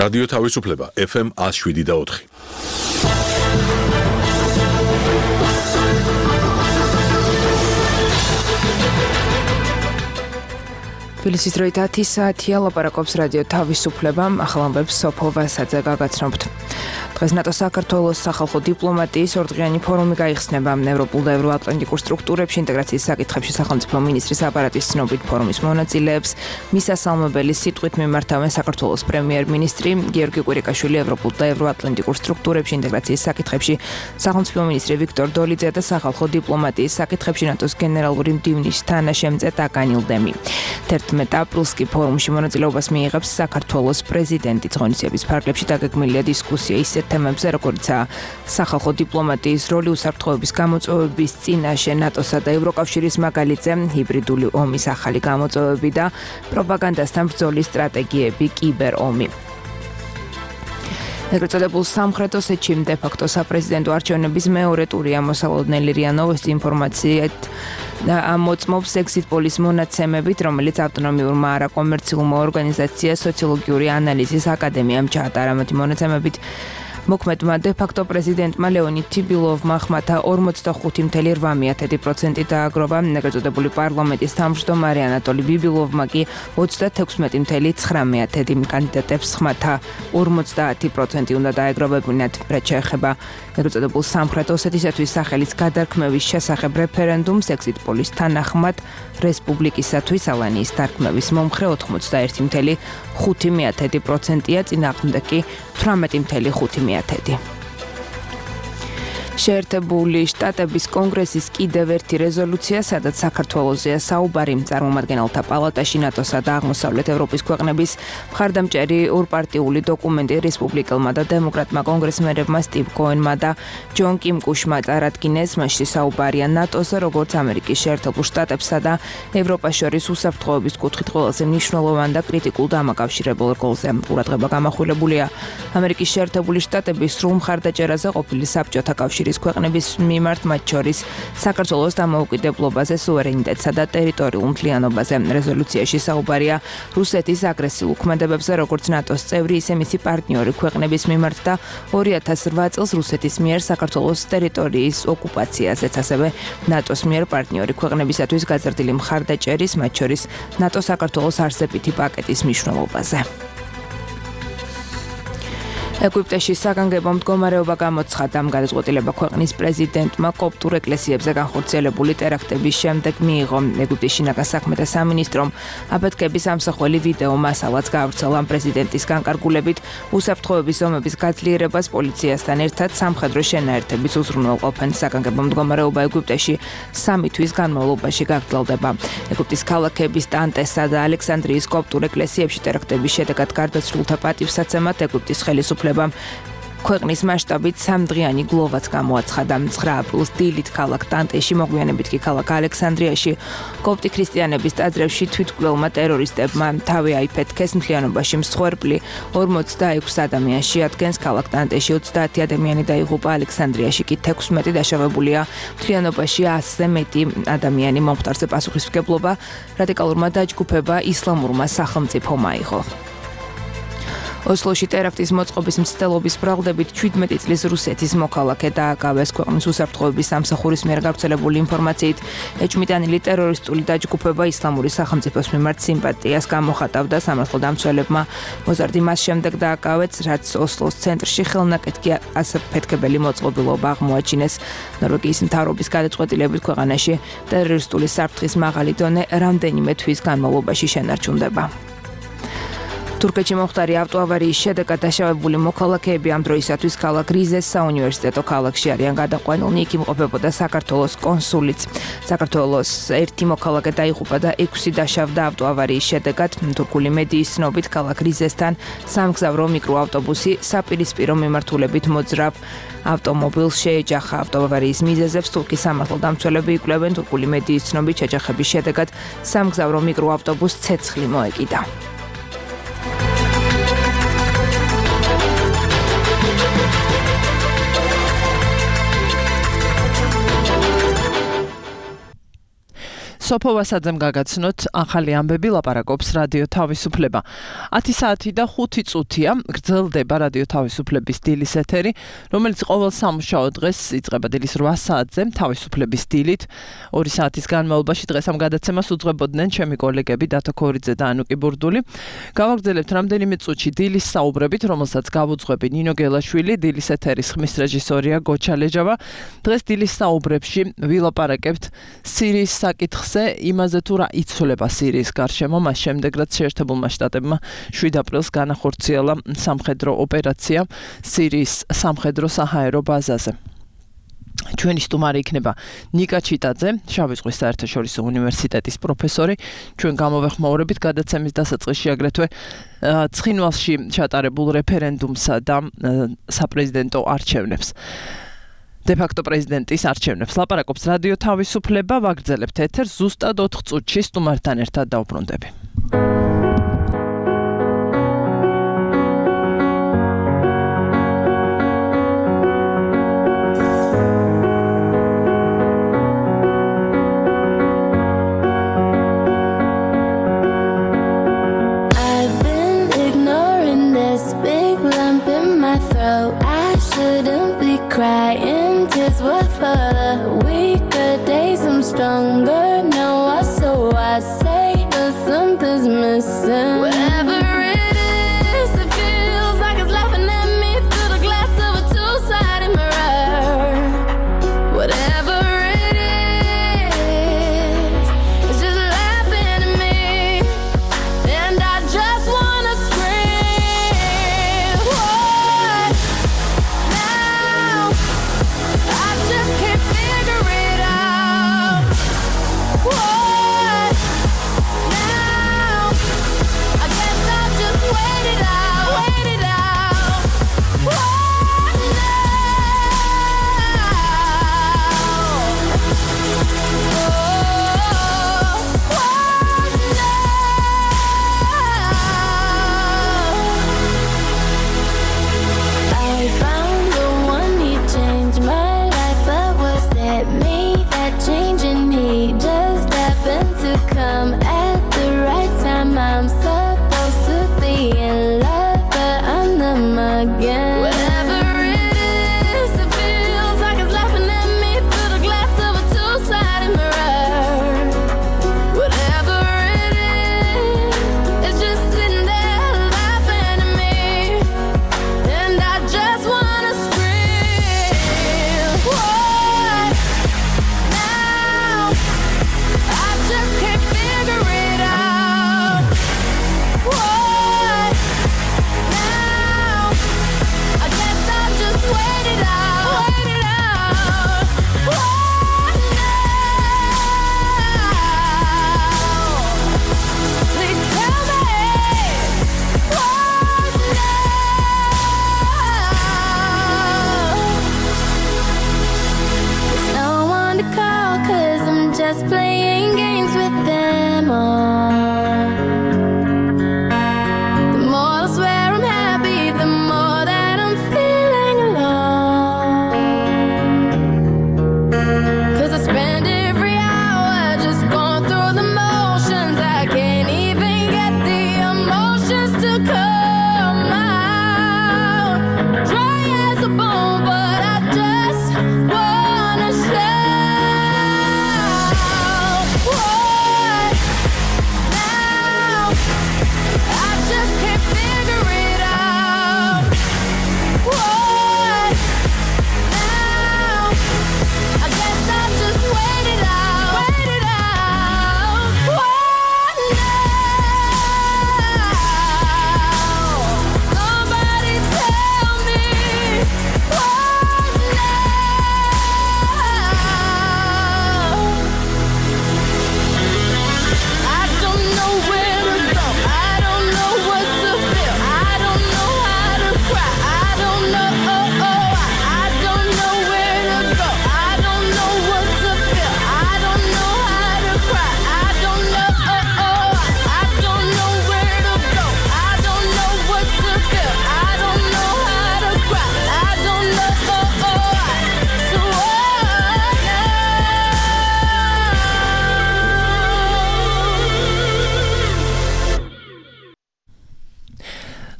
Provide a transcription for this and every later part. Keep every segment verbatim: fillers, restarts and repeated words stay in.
რადიო თავისუფლება ეფ ემ one oh seven და four. თბილისის დროით ათი საათია, ლაპარაკობს რადიო თავისუფლება, ახალ ამბებს სოფო ვასაძე გაგაცნობთ. დღეს ნატო საქართველოს სახალხო დიპლომატიის ორდღიანი ფორუმი გაიხსნება. ევროპულ და ევროატლანტიკურ სტრუქტურებში ინტეგრაციის საკითხებში სახელმწიფო მინისტრის აპარატის ცნობით ფორუმის მონაწილეებს მისასალმებელი სიტყვით მიმართავენ საქართველოს პრემიერ-მინისტრი გიორგი კვირიკაშვილი, ევროპულ და ევროატლანტიკურ სტრუქტურებში ინტეგრაციის საკითხებში სახელმწიფო მინისტრი ვიქტორ დოლიძე და სახალხო დიპლომატიის საკითხებში ნატოს გენერალური მდივნის თანაშემწე ტაკანილ დემი. თერთმეტ აპრილს კი ფორუმში მონაწილეობას მიიღებს საქართველოს პრეზიდენტი. ღონისძიების ფარგლებში დაგეგმილია დისკუსია ისეთ თემებზე, როგორიცაა სახალხო დიპლომატიის როლი უსაფრთხოების გამოწვევების წინაშე ნატოსა და ევროკავშირის მაგალითზე, ჰიბრიდული ომის ახალი გამოწვევები და პროპაგანდასთან ბრძოლის სტრატეგიები, კიბერ ომი. ეგრეთ წოდებულ სამხრეთ ოსეთში დე-ფაქტო საპრეზიდენტო არჩევნების მეორე ტური ამოსალოდნელი რია ნოვოსტი ინფორმაციით ამოწმობს exit poll-ის მონაცემებით, რომელიც ავტონომიურმა არაკომერციულმა ორგანიზაციამ სოციოლოგიური ანალიზის აკადემიამ ჩაატარა. მათი მონაცემებით მოქმედმა დე-ფაქტო პრეზიდენტმა ლეონიდ თიბილოვმა ხმათა ორმოცდახუთი ფاصლე რვა პროცენტი დააგროვა. ეგრეთ წოდებული პარლამენტის თავმჯდომარე ანატოლი ბიბილოვმა კი ოცდათექვსმეტი ფاصლე ცხრამეტ კანდიდატებს ხმათა ორმოცდაათი პროცენტი უნდა დაეგროვებინათ. რაც შეეხება ეგრეთ წოდებულ სამხრეთ ოსეთისათვის სახელის გადარქმევის შესახებ რეფერენდუმს, exit poll-ის თანახმად რესპუბლიკისათვის ალანიის დარქმევის მომხრე ოცდაერთი ფاصლე ხუთი პროცენტია, წინააღმდეგი თვრამეტი ფاصლე ხუთი პროცენტი. შეერთებული შტატების კონგრესის კიდევ ერთი რეზოლუცია, სადაც საქართველოსია საუბარი, წარმომადგენელთა პალატაში ნატოსა და აღმოსავლეთ ევროპის ქვეყნების მხარდამჭერი ორპარტიული დოკუმენტი რესპუბლიკელმა და დემოკრატმა კონგრესმენებმა სტივ კოენმა და ჯონ კიმ კუშმა წარადგინეს. მასში საუბარია ნატოს, როგორც ამერიკის შეერთებულ შტატებსა და ევროპას შორის უსაფრთხოების კუთხით ყველაზე მნიშვნელოვან და კრიტიკულ დამაკავშირებელ როლზე. ყურადღება გამახვილებულია ამერიკის შეერთებული შტატების სრულ მხარდაჭერაზე ყოფილი საბჭოთა კავშირის ქვეყნების მიმართ, მათ შორის საქართველოს დამოუკიდებლობაზე, სუვერენიტეტსა და ტერიტორიულ მთლიანობაზე. რეზოლუციაში საუბარია რუსეთის აგრესიულ ქმედებებზე, როგორც ნატოს წევრი, ისე მისი პარტნიორი ქვეყნების მიმართ და ორი ათას რვა წელს რუსეთის მიერ საქართველოს ტერიტორიის ოკუპაციაზეც, ასევე ნატოს მიერ პარტნიორი ქვეყნებისათვის გაზრდილი მხარდაჭერის, მათ შორის ნატო-საქართველოს არსებითი პაკეტის მნიშვნელობაზე. ეგვიპტეში საგანგებო მდგომარეობა გამოცხადა. გადაწყვეტილება ქვეყნის პრეზიდენტმა კოპტურ ეკლესიებზე განხორციელებული ტერაქტების შემდეგ მიიღო. ეგვიპტის შინაგან საქმეთა სამინისტრომ აფეთქების ამსახველი ვიდეო მასალაც გაავრცელა. პრეზიდენტის განკარგულებით უსაფრთხოების ზომების გაძლიერებას პოლიციასთან ერთად სამხედრო შენაერთების უზრუნველყოფენ. საგანგებო მდგომარეობა ეგვიპტეში სამი თვის განმავლობაში გაგრძელდება. ეგვიპტის ქალაქების ტანტესა და ალექსანდრიის კოპტურ ეკლესიებში ტერაქტების შედეგად გარდაცვლილთა პატივსაცემად ეგვიპტის ხელისუფლება ქვეყნის მასშტაბით სამდღიანი გლოვაც გამოაცხადა. ცხრა აპრილს დილით ქალაქ ტანტეში, მოგვიანებით კი ქალაქ ალექსანდრიაში კოპტი ქრისტიანების ტაძრებში თვითმკვლელმა ტერორისტებმა თავი აიფეთქეს. მთლიანობაში მსხვერპლი ორმოცდაექვსი ადამიანს შეადგენს. ქალაქ ტანტეში ოცდაათი ადამიანი დაიღუპა, ალექსანდრიაში კი თექვსმეტი დაშავებულია. მთლიანობაში ასზე მეტი ადამიანი მომხდარზე პასუხისმგებლობა რადიკალურმა დაჯგუფება ისლამურმა სახელმწიფომ აიღო. ოსლოში ტერაქტის მოწყობის მცდელობის ბრალდებით ჩვიდმეტი წლის რუსეთის მოქალაქე დააკავეს. ქვეყნის უსაფრთხოების სამსახურის მიერ გავრცელებული ინფორმაციით, ეჭვმიტანილი ტერორისტული დაჯგუფება ისლამური სახელმწიფოს მიმართ სიმპათიას გამოხატავდა. სამართლდამცველებმა მოზარდი მას შემდეგ დააკავეს, რაც ოსლოს ცენტრში ხელნაკეთი ასაფეთქებელი მოწყობილობა აღმოაჩინეს. ნორვეგიის მთავრობის გადაწყვეტილებით ქვეყანაში ტერორისტული საფრთხის მაღალი დონე რამდენიმე თვის განმავლობაში შენარჩუნდება. თურქეთში მომხდარი ავტოავარიის შედეგად დაშავებული მოქალაქეები ამ დროისათვის ქალაქ რიზეს საუნივერსიტეტო ქალაქში არიან გადაყვანილნი. იქ იმყოფებოდა საქართველოს კონსულიც. საქართველოს ერთი მოქალაქე დაიღუპა და ექვსი დაშავდა ავტოავარიის შედეგად. თურქული მედიის ცნობით, ქალაქ რიზესთან სამგზავრო მიკროავტობუსი საპირისპირო მიმართულებით მოძრავ ავტომობილს შეეჯახა. ავტოავარიის მიზეზებს თურქის სამართლდამცველები იკვლევენ. თურქული მედიის ცნობით, შეჯახების შედეგად სამგზავრო მიკროავტობუსს ცეცხლი მოეკიდა. სოფო ვასაძემ გაგაცნოთ ახალი ამბები, ლაპარაკობს რადიო თავისუფლება. ათი საათი და ხუთი წუთია გრძელდება რადიო თავისუფლების დილის ეთერი, რომელიც ყოველ სამუშაო დღეს იწყება დილის რვა საათზე თავისუფლების დილით. ორი საათის განმავლობაში დღეს ამ გადაცემას უძღვებოდნენ ჩემი კოლეგები დათო ქორიძე და ანუკი ბურდული. გავაგრძელებთ რამდენიმე წუთში დილის საუბრებით, რომელსაც გავუძღვები ნინო გელაშვილი, დილის ეთერის ხმის რეჟისორია გოჩა ლეჯავა. დღეს დილის საუბრებში ვილაპარაკებთ სირიის საკითხზე, იმაზე თუ რა იცვლება სირიის გარშემო, მას შემდეგ რაც შეერთებულმა შტატებმა შვიდ აპრილს განახორციელა სამხედრო ოპერაცია სირიის სამხედრო საჰაერო ბაზაზე. ჩვენი სტუმარი იქნება ნიკა ჩიტაძე, შავი ზღვის საერთაშორისო უნივერსიტეტის პროფესორი. ჩვენ გამოვეხმაურებით გადაცემის დასაწყისში აგრეთვე ცხინვალში ჩატარებულ რეფერენდუმსა და საპრეზიდენტო არჩევნებს. დე-ფაქტო პრეზიდენტის არჩევნებს ლაპარაკობს რადიო თავისუფლება, ვაგრძელებთ ეთერს ზუსტად ოთხ წუთში სტუმართან ერთად დავბრუნდები. Crying tears were for the weaker days. I'm stronger now. I so I say, but something's missing. Whatever it is, it feels like it's laughing at me through the glass of a two-sided mirror. Whatever it is, it's just laughing at me, and I just wanna scream. What now? I just can't figure it out. What now? I guess I'll just wait it out, wait it out. What now? Oh, what now? I found the one, he changed my life, but was it me that changed? And he just happened to come at the right time. I'm supposed to be in love, but I'm them again. Whatever it is, it feels like it's laughing at me through the glass of a two-sided mirror. Whatever it is, it's just sitting there laughing at me, and I just wanna scream. What now? I just can't figure it out. What now? I guess I'll just wait it out, wait it out. What now? Please tell me. What now? No one to call, 'cause I'm just playing games with them all. The more I swear I'm happy, the more that I'm feeling alone. 'Cause I spend every hour just going through the motions. I can't even get the emotions to come out. Dry as a bone, but I just wanna shout. Whoa.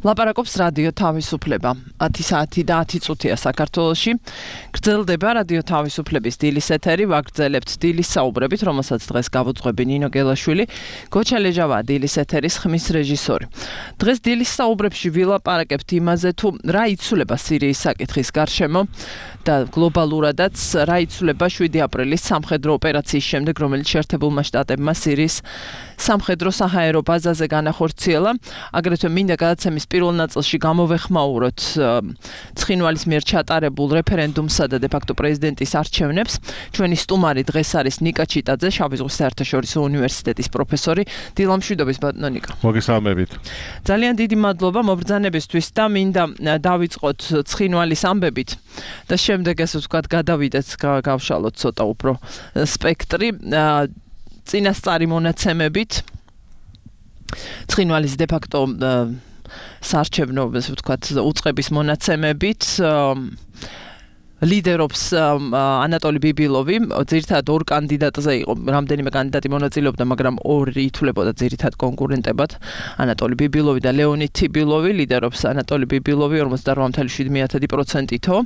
ლაპარაკობს რადიო თავისუფლება. ათი საათი და ათი წუთია საქართველოში. გრძელდება რადიო თავისუფლების დილის ეთერი, ვაგრძელებთ დილის საუბრებით, რომელსაც დღეს გავუძღვები ნინო გელაშვილი, გოჩა ლეჟავა დილის ეთერის ხმის რეჟისორი. დღეს დილის საუბრებში ვილაპარაკებთ იმაზე, თუ რა იცვლება სირიის საკითხის გარშემო და გლობალურადაც რა იცვლება შვიდი აპრილის სამხედრო ოპერაციის შემდეგ, რომელიც შეერთებულმა შტატებმა სირიის სამხედრო საჰაერო ბაზაზე განახორციელა. აგრეთვე მინდა გადაცემის პირველ ნაწილში გამოვეხმაუროთ ცხინვალის მიერ ჩატარებულ რეფერენდუმსა და დე-ფაქტო პრეზიდენტის არჩევნებს. ჩვენი სტუმარი დღეს არის ნიკა ჩიტაძე, შავი ზღვის საერთაშორისო უნივერსიტეტის პროფესორი. დილა მშვიდობის ბატონო ნიკა. მოგესალმებით. ძალიან დიდი მადლობა მობრძანებისთვის და მინდა დავიწყოთ ცხინვალის ამბებით და შემდეგ ესე ვთქვათ გადავიდეთ, გავშალოთ ცოტა უფრო სპექტრი წინასწარი მონაცემებით. ცხინვალის დე-ფაქტო საარჩევნო, ესე ვთქვათ, უწყების მონაცემებით ლიდერობს ანატოლი ბიბილოვი, ძირითადად ორ კანდიდატზე იყო, რამდენიმე კანდიდატი მონაწილეობდა, მაგრამ ორი ითვლებოდა ძირითად კონკურენტებად. ანატოლი ბიბილოვი და ლეონიდ თიბილოვი, ლიდერობს ანატოლი ბიბილოვი ორმოცდარბა წუთი შვიდ პროცენტითო.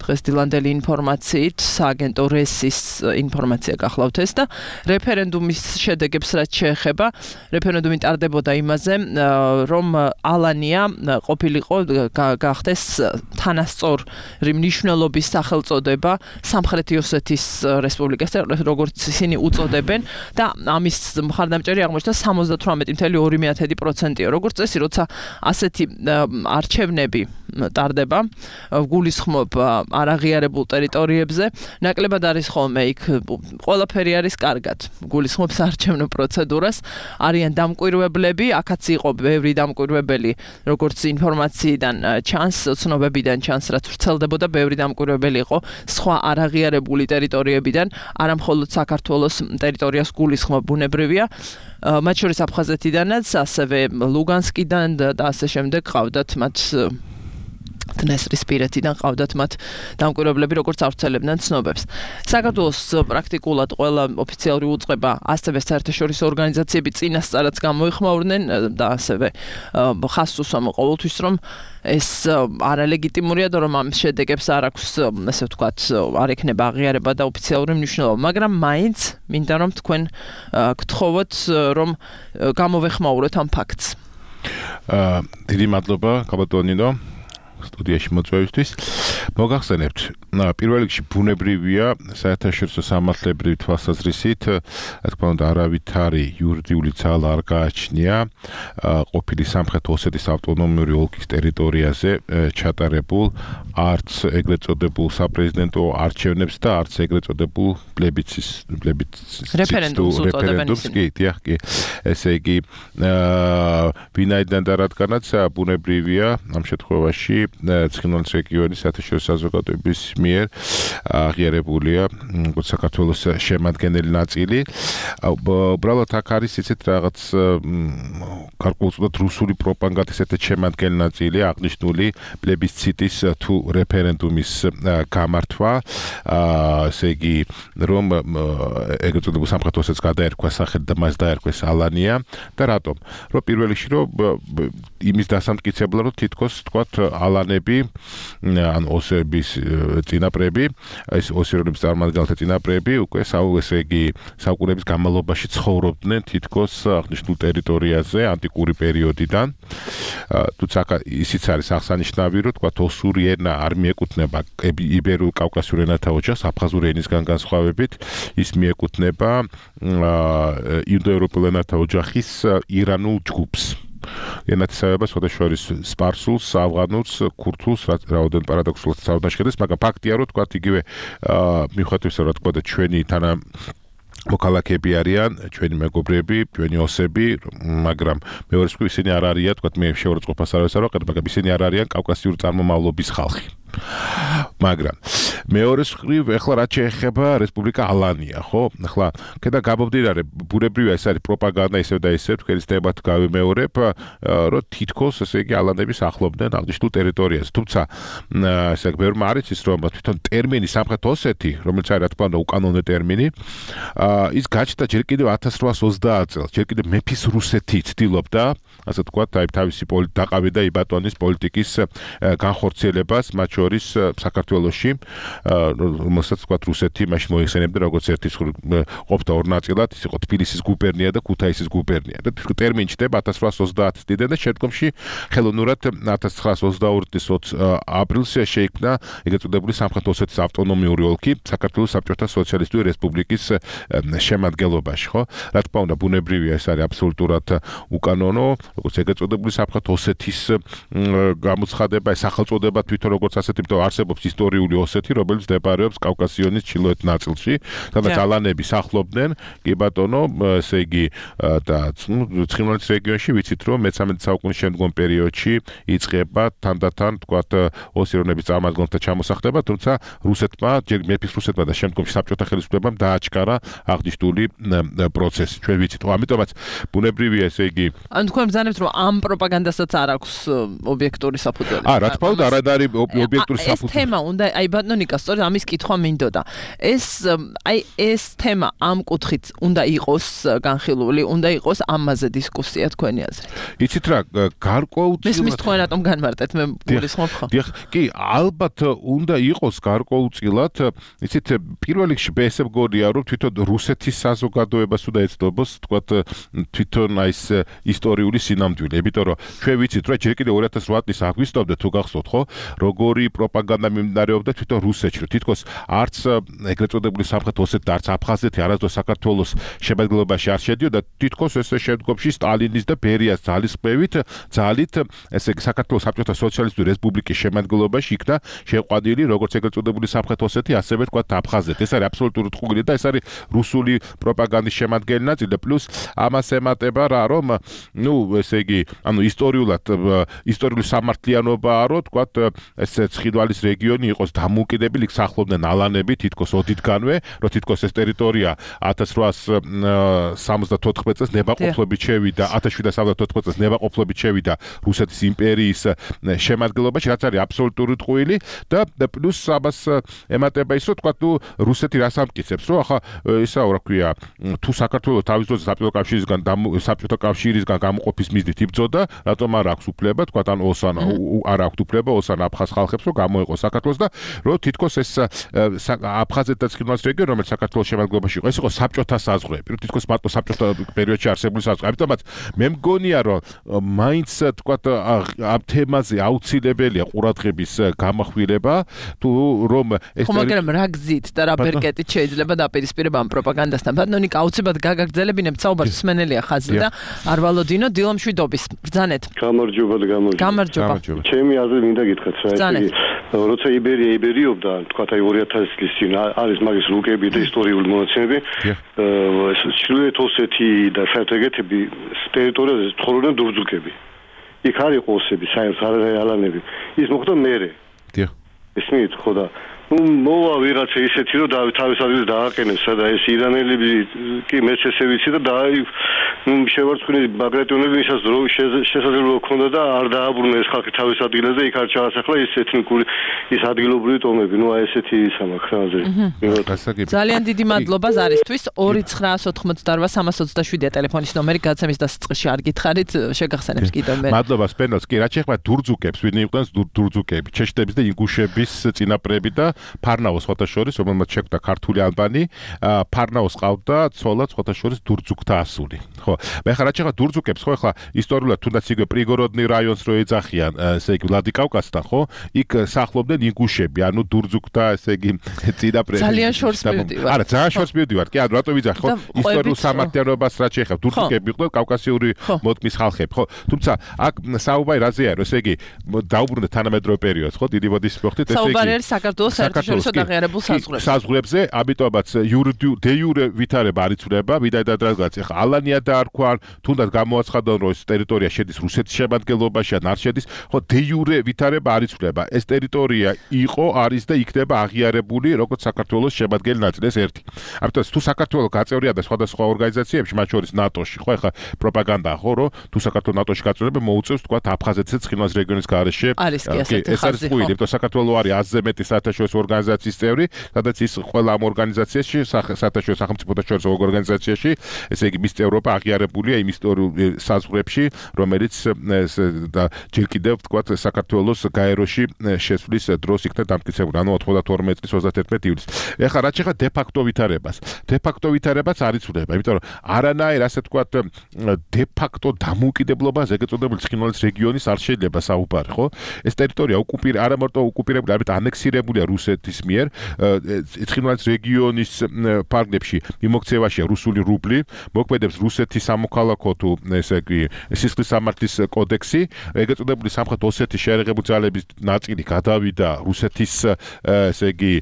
დღეს დილანდელი ინფორმაციით სააგენტო რესის ინფორმაცია გახლავთ ეს და რეფერენდუმის შედეგებს რაც შეეხება, რეფერენდუმი ტარდებოდა იმაზე, რომ ალანია ყოფილიყო გახდეს თანასწორი მნიშვნელობის სახელწოდება სამხრეთი ოსეთის რესპუბლიკას, როგორც ისინი უწოდებენ და ამის მხარდამჭერი აღმოჩნდა სამოცდათვრამეტი წუთი ორი პროცენტია. როგორც წესი, როცა ასეთი არჩევნები ტარდება, გულისხმობ არაღიარებულ ტერიტორიებზე, ნაკლებად არის ხოლმე იქ ყველაფერი არის კარგად. გულისხმობს არჩევნო პროცედურას, არიან დამკვირვებლები, აქაც იყო ბევრი დამკვირვებელი, როგორც ინფორმაციიდან ჩანს, ცნობებიდან ჩანს, რაც ვრცელდებოდა, ბევრი დამკვირვებელი იყო სხვა არაღიარებული ტერიტორიებიდან, არა მხოლოდ საქართველოს ტერიტორიას გულისხმობ ბუნებრივია, მათ შორის აფხაზეთიდანაც, ასევე ლუგანსკიდან და ასე შემდეგ ყავდათ მათ დნესტრისპირეთიდან ყავდათ მათ დამკვირვებლები, როგორც ავრცელებდნენ ცნობებს. საქართველოს პრაქტიკულად ყველა ოფიციალური უწყება, ასევე საერთაშორისო ორგანიზაციები წინასწარაც გამოიხმაურნენ და ასევე ხაზს უსვამ ყოველთვის, რომ ეს არალეგიტიმურია და რომ ამ შედეგებს არ აქვს, ასე ვთქვათ, არ ექნება აღიარება და ოფიციალური მნიშვნელობა, მაგრამ მაინც მინდა რომ თქვენ გთხოვოთ, რომ გამოვეხმაუროთ ამ ფაქტს. დიდი მადლობა, გაბატონინო. სტუდიაში მოწვევისთვის. მოგახსენებთ, პირველ რიგში ბუნებრივია საერთაშორისო სამართლებრივი თვალსაზრისით, რა თქმა უნდა, არავითარი იურიდიული ძალა არ გააჩნია ყოფილი სამხრეთ ოსეთის ავტონომიური ოლქის ტერიტორიაზე ჩატარებულ არც ეგრეთ წოდებულ საპრეზიდენტო არჩევნებს და არც ეგრეთ წოდებულ პლებიცის პლებიცის რეფერენდუმს, კი, დიახ, კი. ესე იგი, ვინაიდან და რადგანაც ბუნებრივია ამ შემთხვევაში ცხინვალის რეგიონის საერთაშორისო საზოგადოების მიერ აღიარებულია საქართველოს შემადგენელი ნაწილი. უბრალოდ აქ არის ისეთ რაღაც გარკვეულწილად რუსული პროპაგანდის ერთ შემადგენელი ნაწილი აღნიშნული პლებისციტის თუ რეფერენდუმის გამართვა, ესე იგი, რომ ეგრეთ წოდებულ სამხრეთ ოსეთს გადაერქვა სახელი და მას დაერქვეს ალანია და რატომ? რომ პირველ რიგში რომ იმის დასამტკიცებლად რომ თითქოს თქვათ ალანები ან ოსების წინაპრები, ეს ოსირების წარმომადგენელთა წინაპრები უკვე ესე იგი საუკუნეების განმავლობაში ცხოვრობდნენ თითქოს აღნიშნულ ტერიტორიაზე ანტიკური პერიოდიდან. თუმცა ისიც არის აღსანიშნავი, რომ თქვათ ოსური ენა არ მიეკუთვნება იბერულ კავკასიურ ენათა ოჯახს, აფხაზური ენისგან განსხვავებით, ის მიეკუთვნება ინდოევროპულ ენათა ოჯახის ირანულ ჯგუფს. ენათესავება სხვადასხვა სპარსულს, ავღანურს, ქურთულს, რაოდენ პარადოქსულად საუბარშედეს, მაგრამ ფაქტია, რომ თქვათ იგივე მიუხედავად რა თქმა უნდა ჩვენი თანა მოქალაქეები არიან, ჩვენი მეგობრები, ჩვენი ოსები, მაგრამ მეორე მხრივ ისინი არ არიან, თქვათ მე შეურაცხყოფას არ ვესწავლე, მაგრამ ისინი არ არიან კავკასიური წარმომავლობის ხალხი. მაგრამ მეორე მხრივ ეხლა რაც შეეხება რესპუბლიკა ალანია, ხო? ეხლა კიდე გამომდინარე, ბუნებრივია ეს არის პროპაგანდა ისევ და ისევ თქვენს თემად გავიმეორებ, რომ თითქოს ესე იგი ალანები სახლობდნენ აღნიშნულ ტერიტორიაზე. თუმცა ესე იგი ბევრმა არ იცის, რომ თვითონ ტერმინი სამხრეთ ოსეთი, რომელიც არის რა თქმა უნდა უკანონო ტერმინი, ის გაჩნდა ჯერ კიდევ ათას რვაას ოცდაათ წელს, ჯერ კიდევ მეფის რუსეთი ცდილობდა, ასე ვთქვათ, აი თავისი დაყავი და იბატონის პოლიტიკის განხორციელებას, მათ შორის საქართველოში, რომელსაც ვთქვათ რუსეთი მაშინ მოიხსენებდა როგორც ერთის ყოფდა ორ ნაწილად, ის იყო თბილისის გუბერნია და ქუთაისის გუბერნია. და ტერმინი ჩდება ათას რვაას ოცდაათ წლიდან და შემდგომში ხელოვნურად ათას ცხრაას ოცდაორი წლის ოცი აპრილს შეიქმნა ეგრეთ წოდებული სამხრეთ ოსეთის ავტონომიური ოლქი საქართველოს საბჭოთა სოციალისტური რესპუბლიკის შემადგენლობაში, ხო? რა თქმა უნდა, ბუნებრივია ეს არის აბსოლუტურად უკანონო, როგორც ეგრეთ წოდებული სამხრეთ ოსეთის გამოცხადება, ეს სახელწოდება თვითონ როგორც ასეთი, იმიტომ არსებობს ისტორიული ოსეთი, რომელიც მდებარეობს კავკასიონის ჩრდილოეთ ნაწილში, სადაც ალანები სახლობდნენ, კი ბატონო, ესე იგი და ცხინვალის რეგიონში ვიცით, რომ მეცამეტე საუკუნის შემდგომ პერიოდში იწყება თანდათან, თქვათ, ოსირონების წარმომადგენელთა ჩამოსახლება, თუმცა რუსეთმა, ჯერ მეფის რუსეთმა და შემდგომში საბჭოთა ხელისუფლებამ დააჩქარა აღნიშნული პროცესი. ჩვენ ვიცით, ხო, ამიტომაც ბუნებრივია ესე იგი. ან თქვენ ბრძანებთ, რომ ამ პროპაგანდასაც არ აქვს ობიექტური საფუძველი. აა, რა თქმა უნდა, არ არის ობიექტური საფუძველი. ეს თემა უნდა, აი ბატონო ნიკა, სწორედ ამის კითხვა მინდოდა. ეს აი ეს თემა ამ კუთხით უნდა იყოს განხილული, უნდა იყოს ამაზე დისკუსია თქვენი აზრით. იცით რა, გარკვეულწილად მისმის თქვენ რატომ განმარტეთ, მე გულისხმობ ხო? დიახ, კი, ალბათ უნდა იყოს გარკვეულწილად, იცით, პირველ რიგში ესე მგონია, რომ თვითონ რუსეთის საზოგადოებას უნდა ეცნობს, თქვათ, თვითონ აი ეს ისტორიული სინამდვილე, იმიტომ რომ ჩვენ ვიცით, რომ ჯერ კიდევ ორი ათას რვა წლის აგვისტოვდა თუ გახსოვთ, ხო, როგორი პროპაგანდა მიმდინარეობდა თვითონ რუსეთში, რომ თითქოს არც ეგრეთ წოდებული სამხრეთ ოსეთი და არც აფხაზეთი არასდროს საქართველოს შემადგენლობაში არ შედიოდა, თითქოს ესე შემდგომში სტალინის და ბერიას ძალისხმევით, ძალით, ესე იგი საქართველოს საბჭოთა სოციალისტური რესპუბლიკის შემადგენლობაში იქნა შეყვანილი როგორც ეგრეთ წოდებული სამხრეთ ოსეთი, ასევე თქვათ აფხაზეთი. ეს არის აბსოლუტურად ხუგილი და ეს არის რუსული პროპაგანდის შემადგენელი ნაწილი და პლუს ამას ემატება რა, რომ ნუ ესე იგი, ანუ ისტორიულად ისტორიული სამართლიანობაა, რომ თქვათ ეს ცხინვალის რეგიონი იყოს დამოუკიდებელი, იქ სახლობდნენ ალანები თითქოს ოდითგანვე, რომ თითქოს ეს ტერიტორია ათას რვაას სამოცდათოთხმეტ წელს ნებაყოფლობით შევიდა, ათას შვიდსათ სამოცდათოთხმეტ წელს ნებაყოფლობით შევიდა რუსეთის იმპერიის შემადგენლობაში, რაც არის აბსოლუტური ტყუილი და პლუს ამას ემატება ის, რომ თქვათ, ნუ რუსეთი რას ამტკიცებს, რომ ახლა ისა რა ქვია, თუ საქართველოს თავის დროზე საბჭოთა კავშირისგან საბჭოთა კავშირისგან გამოყოფის მიზნით იბრძოდა, რატომ არ აქვს უფლება, თქვათ, ან ოსან არ აქვს უფლება ოსან აფხაზ ხალხებს, რომ გამოეყოს საქართველოს და რომ თითქოს ეს აფხაზეთ და ცხინვალის რეგიონი, რომელიც საქართველოს შემადგენლობაში იყო, ეს იყო საბჭოთა საზღვრები, რომ თითქოს მარტო საბჭოთა პერიოდში არსებული საზღვრები. ამიტომაც მე მგონია, რომ მაინც თქვათ ამ თემაზე აუცილებელია ყურადღების გამახვილება, თუ რომ ეს ხო, მაგრამ რა გზით და რა ბერკეტით შეიძლება დაპირისპირება ამ პროპაგანდასთან. ბატონო ნიკა, აუცილებლად გაგაგრძელებინებთ საუბარს, მსმენელია ხაზი და არ ვალოდინო დილო მშვიდობის. ბრძანეთ. გამარჯობა და გამარჯობა. გამარჯობა. ჩემი აზრი მინდა გითხრათ რა, ესე იგი, როცა იბერია იბერიობდა, თქვათ აი ორი ათას წლის წინ არის მაგის რუკები და ისტორიული მონაცემები, ეს ჩრდილოეთ ოსეთი და საერთოდ ტერიტორიაზე ცხოვრობდნენ დურძუკები. იქ არ იყო ოსები, საერთოდ არ ალანები. ის მოხდა მერე. დიახ. ესმით, ხო და ნუ მოვა ვიღაცა ისეთი, რომ თავის ადგილს დააყენეს, სადა ეს ირანელები კი მეც ესე ვიცი და და ნუ შევარცხნილი ბაგრატიონები ისაც დრო შესაძლებლობა ჰქონდა და არ დააბრუნა ეს ხალხი თავის ადგილზე და იქ არ ჩაასახლა ის ეთნიკური ის ადგილობრივი ტომები. ნუ აი ესეთი სამაქ ხაზი. ძალიან დიდი მადლობა ზარისთვის. ორი ცხრაას ოთხმოცდარვა სამას ოცდაშვიდია ტელეფონის ნომერი, გადაცემის დასაწყისში არ გითხარით, შეგახსენებს კიდევ მე. მადლობა სპენელს. კი, რა შეეხება დურძუკებს, ვინმე იყვნენ დურძუკები, ჩეშტების და ინგუშების წინაპრები და ფარნაოს ხოთა შორის, რომელმაც შეკვდა ქართული ალბანი, ფარნაოს ყავდა ცოლად ხოთა შორის დურძუკთა ასული. ხო, მე ხარ რა შეეხება დურძუკებს, ხო, ახლა ისტორიულად თუნდაც იგივე პრიგოროდნი რაიონს რო ეძახიან, ესე იგი ვლადიკავკაზთან, ხო? იქ სახლობდნენ ინგუშები, ანუ დურძუკთა, ესე იგი წინაპრები. ძალიან შორს მივდივარ. არა, ძალიან შორს მივდივარ. კი, ანუ რატო ვიძახ, ხო? ისტორიულ სამართლიანობას რა შეეხება, დურძუკები იყვნენ კავკასიური მოდმის ხალხები, ხო? თუმცა აქ საუბარი რაზეა, რომ ესე იგი დაუბრუნდა თანამედროვე პერიოდს, ხო? დიდი მოდის მოხდით, ესე იგი. საუბარი არის საქართველოს საერთაშორისო დაღიარებულ საზღვრებზე. საზღვრებზე, ამიტომაც დე იურე ვითარება არ იცვლება, ვიდრე დღეს ახლა ალანია დაარქვა, თუნდაც გამოაცხადა რომ ეს ტერიტორია შედის რუსეთის შემადგენლობაში ან არ შედის, ხო დე იურე ვითარება არ იცვლება. ეს ტერიტორია იყო, არის და იქნება აღიარებული როგორც საქართველოს შემადგენელი ნაწილი, ეს ერთი. ამიტომ თუ საქართველოს გაწევრია და სხვადასხვა ორგანიზაციებში, მათ შორის ნატოში, ხო ახლა პროპაგანდაა ხო, რომ თუ საქართველოს ნატოში გაწევრება მოუწევს თქვა აფხაზეთზე ცხინვალის რეგიონის გარეშე. არის კი ასეთი ეს არის ხუილი, იმიტომ საქართველოს არის ათზე მეტი საერთაშორისო ორგანიზაციის წევრი, სადაც ის ყველა ამ ორგანიზაციაში, საერთაშორისო სახელმწიფოთა შორის ორგანიზაციაში, ესე იგი მის წევრობა აღიარებულია იმ ისტორიულ საზღვრებში, რომელიც და ჯერ კიდევ თქვა საქართველოს გაეროში შესვლის დროს იქნა დამტკიცებული, ანუ ოცდათორმეტი წლის ოცდაათერთმეტი ივლისს. ეხლა რაც შეეხება დე ფაქტო ვითარებას. დე ფაქტო ვითარებაც არ იცვლება, იმიტომ რომ არანაირ ასე თქვა დე ფაქტო დამოუკიდებლობას ეგრეთ წოდებული ცხინვალის რეგიონის არ შეიძლება საუბარი, ხო? ეს ტერიტორია ოკუპირ არა მარტო ოკუპირებული, არამედ ანექსირებულია რუსეთის მიერ. ცხინვალის რეგიონის ფარგლებში მიმოქცევაშია რუსული რუბლი, მოქმედებს რუსეთის სამოქალაქო თუ ესე იგი სისხლის სამართლის კოდექსი, ეგრეთ წოდებული სამხრეთ ოსეთის შეერაღებული ძალების ნაწილი გადავიდა რუსეთის ესე იგი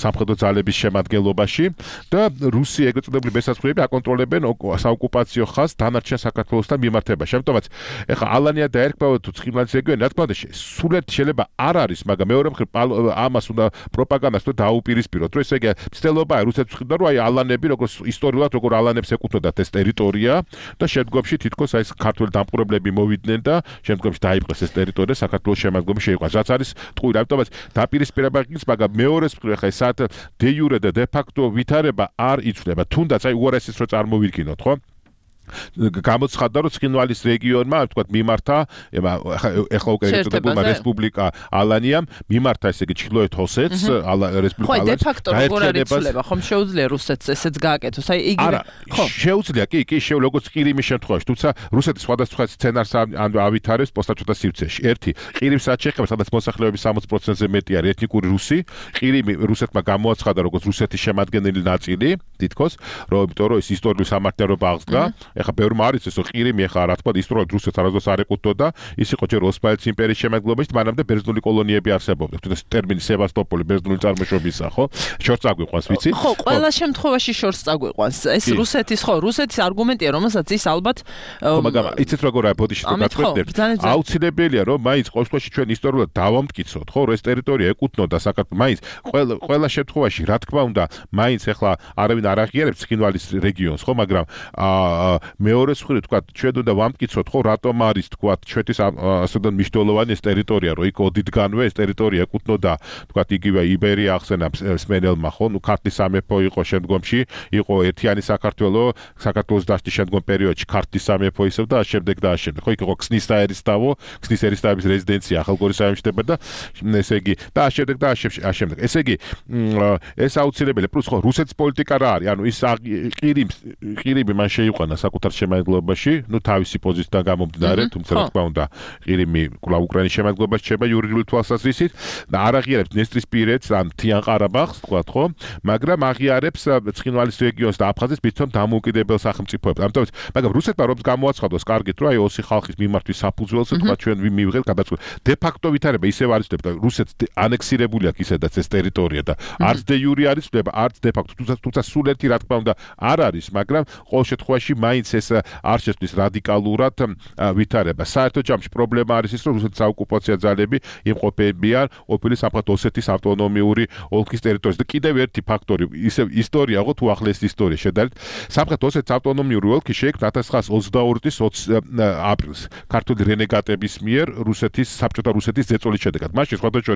სამხედრო ძალების შემადგენლობაში და რუსი ეგრეთ წოდებული მესაცღვრეები აკონტროლებენ საოკუპაციო ხაზს დანარჩენ საქართველოსთან მიმართებაში. ამიტომაც ეხლა ალანია დაერქვა თუ ცხინვალის რეგიონი, რა თქმა უნდა, სულეთ შეიძლება არ არის, მაგრამ მეორე მხრივ ამას უნდა პროპაგანდას თუ დაუპირისპიროთ, რომ ესე იგი ცდილობაა რუსეთს ხედა, რომ აი ალანები როგორც ისტორიულად როგორ ალანებს ეკუთვნოდათ ეს ტერიტორია და შემდგომში თითქოს აი ეს ქართველი დამპყრობლები მოვიდნენ და შემდგომში დაიპყრეს ეს ტერიტორია საქართველოს შემადგენლობაში შეიყვანს. რაც არის ტყუილი, ამიტომაც დაპირისპირება ის, მაგრამ მეორეს მხრივ ეხლა ეს დე იურე და დე ფაქტო ვითარება არ იცვლება. თუნდაც აი უარესის რო წარმოვიდგინოთ, ხო? გამოცხადდა რომ ცხინვალის რეგიონმა თქვა მიმართა ეხლა უკვე ერთობლივმა რესპუბლიკა ალანიამ მიმართა ესე იგი ჩრდილოეთ ოსეთს რესპუბლიკა ალანიამ. ხო, დე ფაქტო როგორ არის იცვლება, ხომ შეუძლია რუსეთს ესეც გააკეთოს, აი იგივე ხო შეუძლია, კი კი შეუ როგორც ყირიმის შემთხვევაში, თუმცა რუსეთი სხვადასხვა სცენარს ავითარებს პოსტაჩოთა სივრცეში. ერთი ყირიმს რაც შეეხება, სადაც მოსახლეობის სამოცი პროცენტზე მეტი არის ეთნიკური რუსი, ყირიმი რუსეთმა გამოაცხადა როგორც რუსეთის შემადგენელი ნაწილი, თითქოს, რომ იმიტომ რომ ის ისტორიული სამართლიანობა აღსდგა. ეხლა ბევრმა არის ეს ყირიმი ეხლა რა თქმა უნდა ისტორიულად რუსეთს არასდროს არ ეკუთვნოდა, ის იყო ჯერ ოსმალეთის იმპერიის შემადგენლობაში, მანამდე ბერძნული კოლონიები არსებობდა. თუნდაც ტერმინი სევასტოპოლი ბერძნული წარმოშობისაა, ხო? შორს წაგვიყვანს, ვიცი? ხო, ყველა შემთხვევაში შორს წაგვიყვანს. ეს რუსეთის ხო, რუსეთის არგუმენტია, რომელსაც ის ალბათ ხო, მაგრამ იცით როგორ არის ბოდიში თუ გაწყვეტნებთ? აუცილებელია რომ მაინც ყოველ შემთხვევაში ჩვენ ისტორიულად დავამტკიცოთ, ხო, რომ ეს ტერიტორია ეკუთვნოდა საქართველოს. მაინც ყველა ყველა შემთხვევაში რა თქმა უნდა, მაინც ეხლა არავინ არ აღიარებს ცხინვალის რეგიონს, ხო, მაგრამ აა მეორე მხრივ თქვა ჩვენ უნდა ვამტკიცოთ ხო რატომ არის თქვა ჩვეთის ასოდან მნიშვნელოვანი ეს ტერიტორია რომ იქ ოდითგანვე ეს ტერიტორია ეკუთვნოდა თქვა იგივე იბერია ახსენა სმენელმა ხო ნუ ქართლის სამეფო იყო შემდგომში იყო ერთიანი საქართველო საქართველოს დაშლის შემდგომ პერიოდში ქართლის სამეფო ისევ და შემდეგ და შემდეგ ხო იქ იყო ქსნის ერისთავო ქსნის ერისთავის რეზიდენცია ახალგორის საიმშტება და ესე იგი და შემდეგ და შემდეგ ესე იგი ეს აუცილებელია პლუს ხო რუსეთის პოლიტიკა რა არის ანუ ის ყირიმს ყირიმი მან შეიყვანა საკუთარ შემადგენლობაში, ну თავისი პოზიციიდან გამომდინარე, თუმცა რა თქმა უნდა, ყირიმი კვლავ უკრაინის შემადგენლობაში შეება იურიდიული თვალსაზრისით და არ აღიარებს დნესტრისპირეთს ან მთიან ყარაბაღს, თქვათ ხო, მაგრამ აღიარებს ცხინვალის რეგიონს და აფხაზეთს მithom დამოუკიდებელ სახელმწიფოებს. ამიტომ, მაგრამ რუსეთმა რომ გამოაცხადოს კარგით, რომ აი ოსი ხალხის მიმართვის საფუძველს, თქვათ ჩვენ მივიღეთ გადაწყვეტ. დე ფაქტო ვითარება ისევ არის და რუსეთს ანექსირებული აქვს ისედაც ეს ტერიტორია და არც დე იურე არის ცვლება, არც დე ფაქტო, თუმცა სულეთი რა თქმა უნდა არ არის, მაგრამ ყოველ შემთხვევაში მაინც ეს არ შეცვლის რადიკალურად ვითარება. საერთო ჯამში პრობლემა არის ის, რომ რუსეთის საოკუპაციო ძალები იმყოფებიან ყოფილი სამხრეთ ოსეთის ავტონომიური ოლქის ტერიტორიაზე. და კიდევ ერთი ფაქტორი, ისევ ისტორია ხო თუ ახლეს ისტორია შედარებით, სამხრეთ ოსეთის ავტონომიური ოლქი შეიქმნა ათას ცხრაას ოცდაორი წლის ოცი აპრილს ქართული რენეგატების მიერ რუსეთის საბჭოთა რუსეთის ზეწოლის შედეგად. მაშინ სხვადასხვა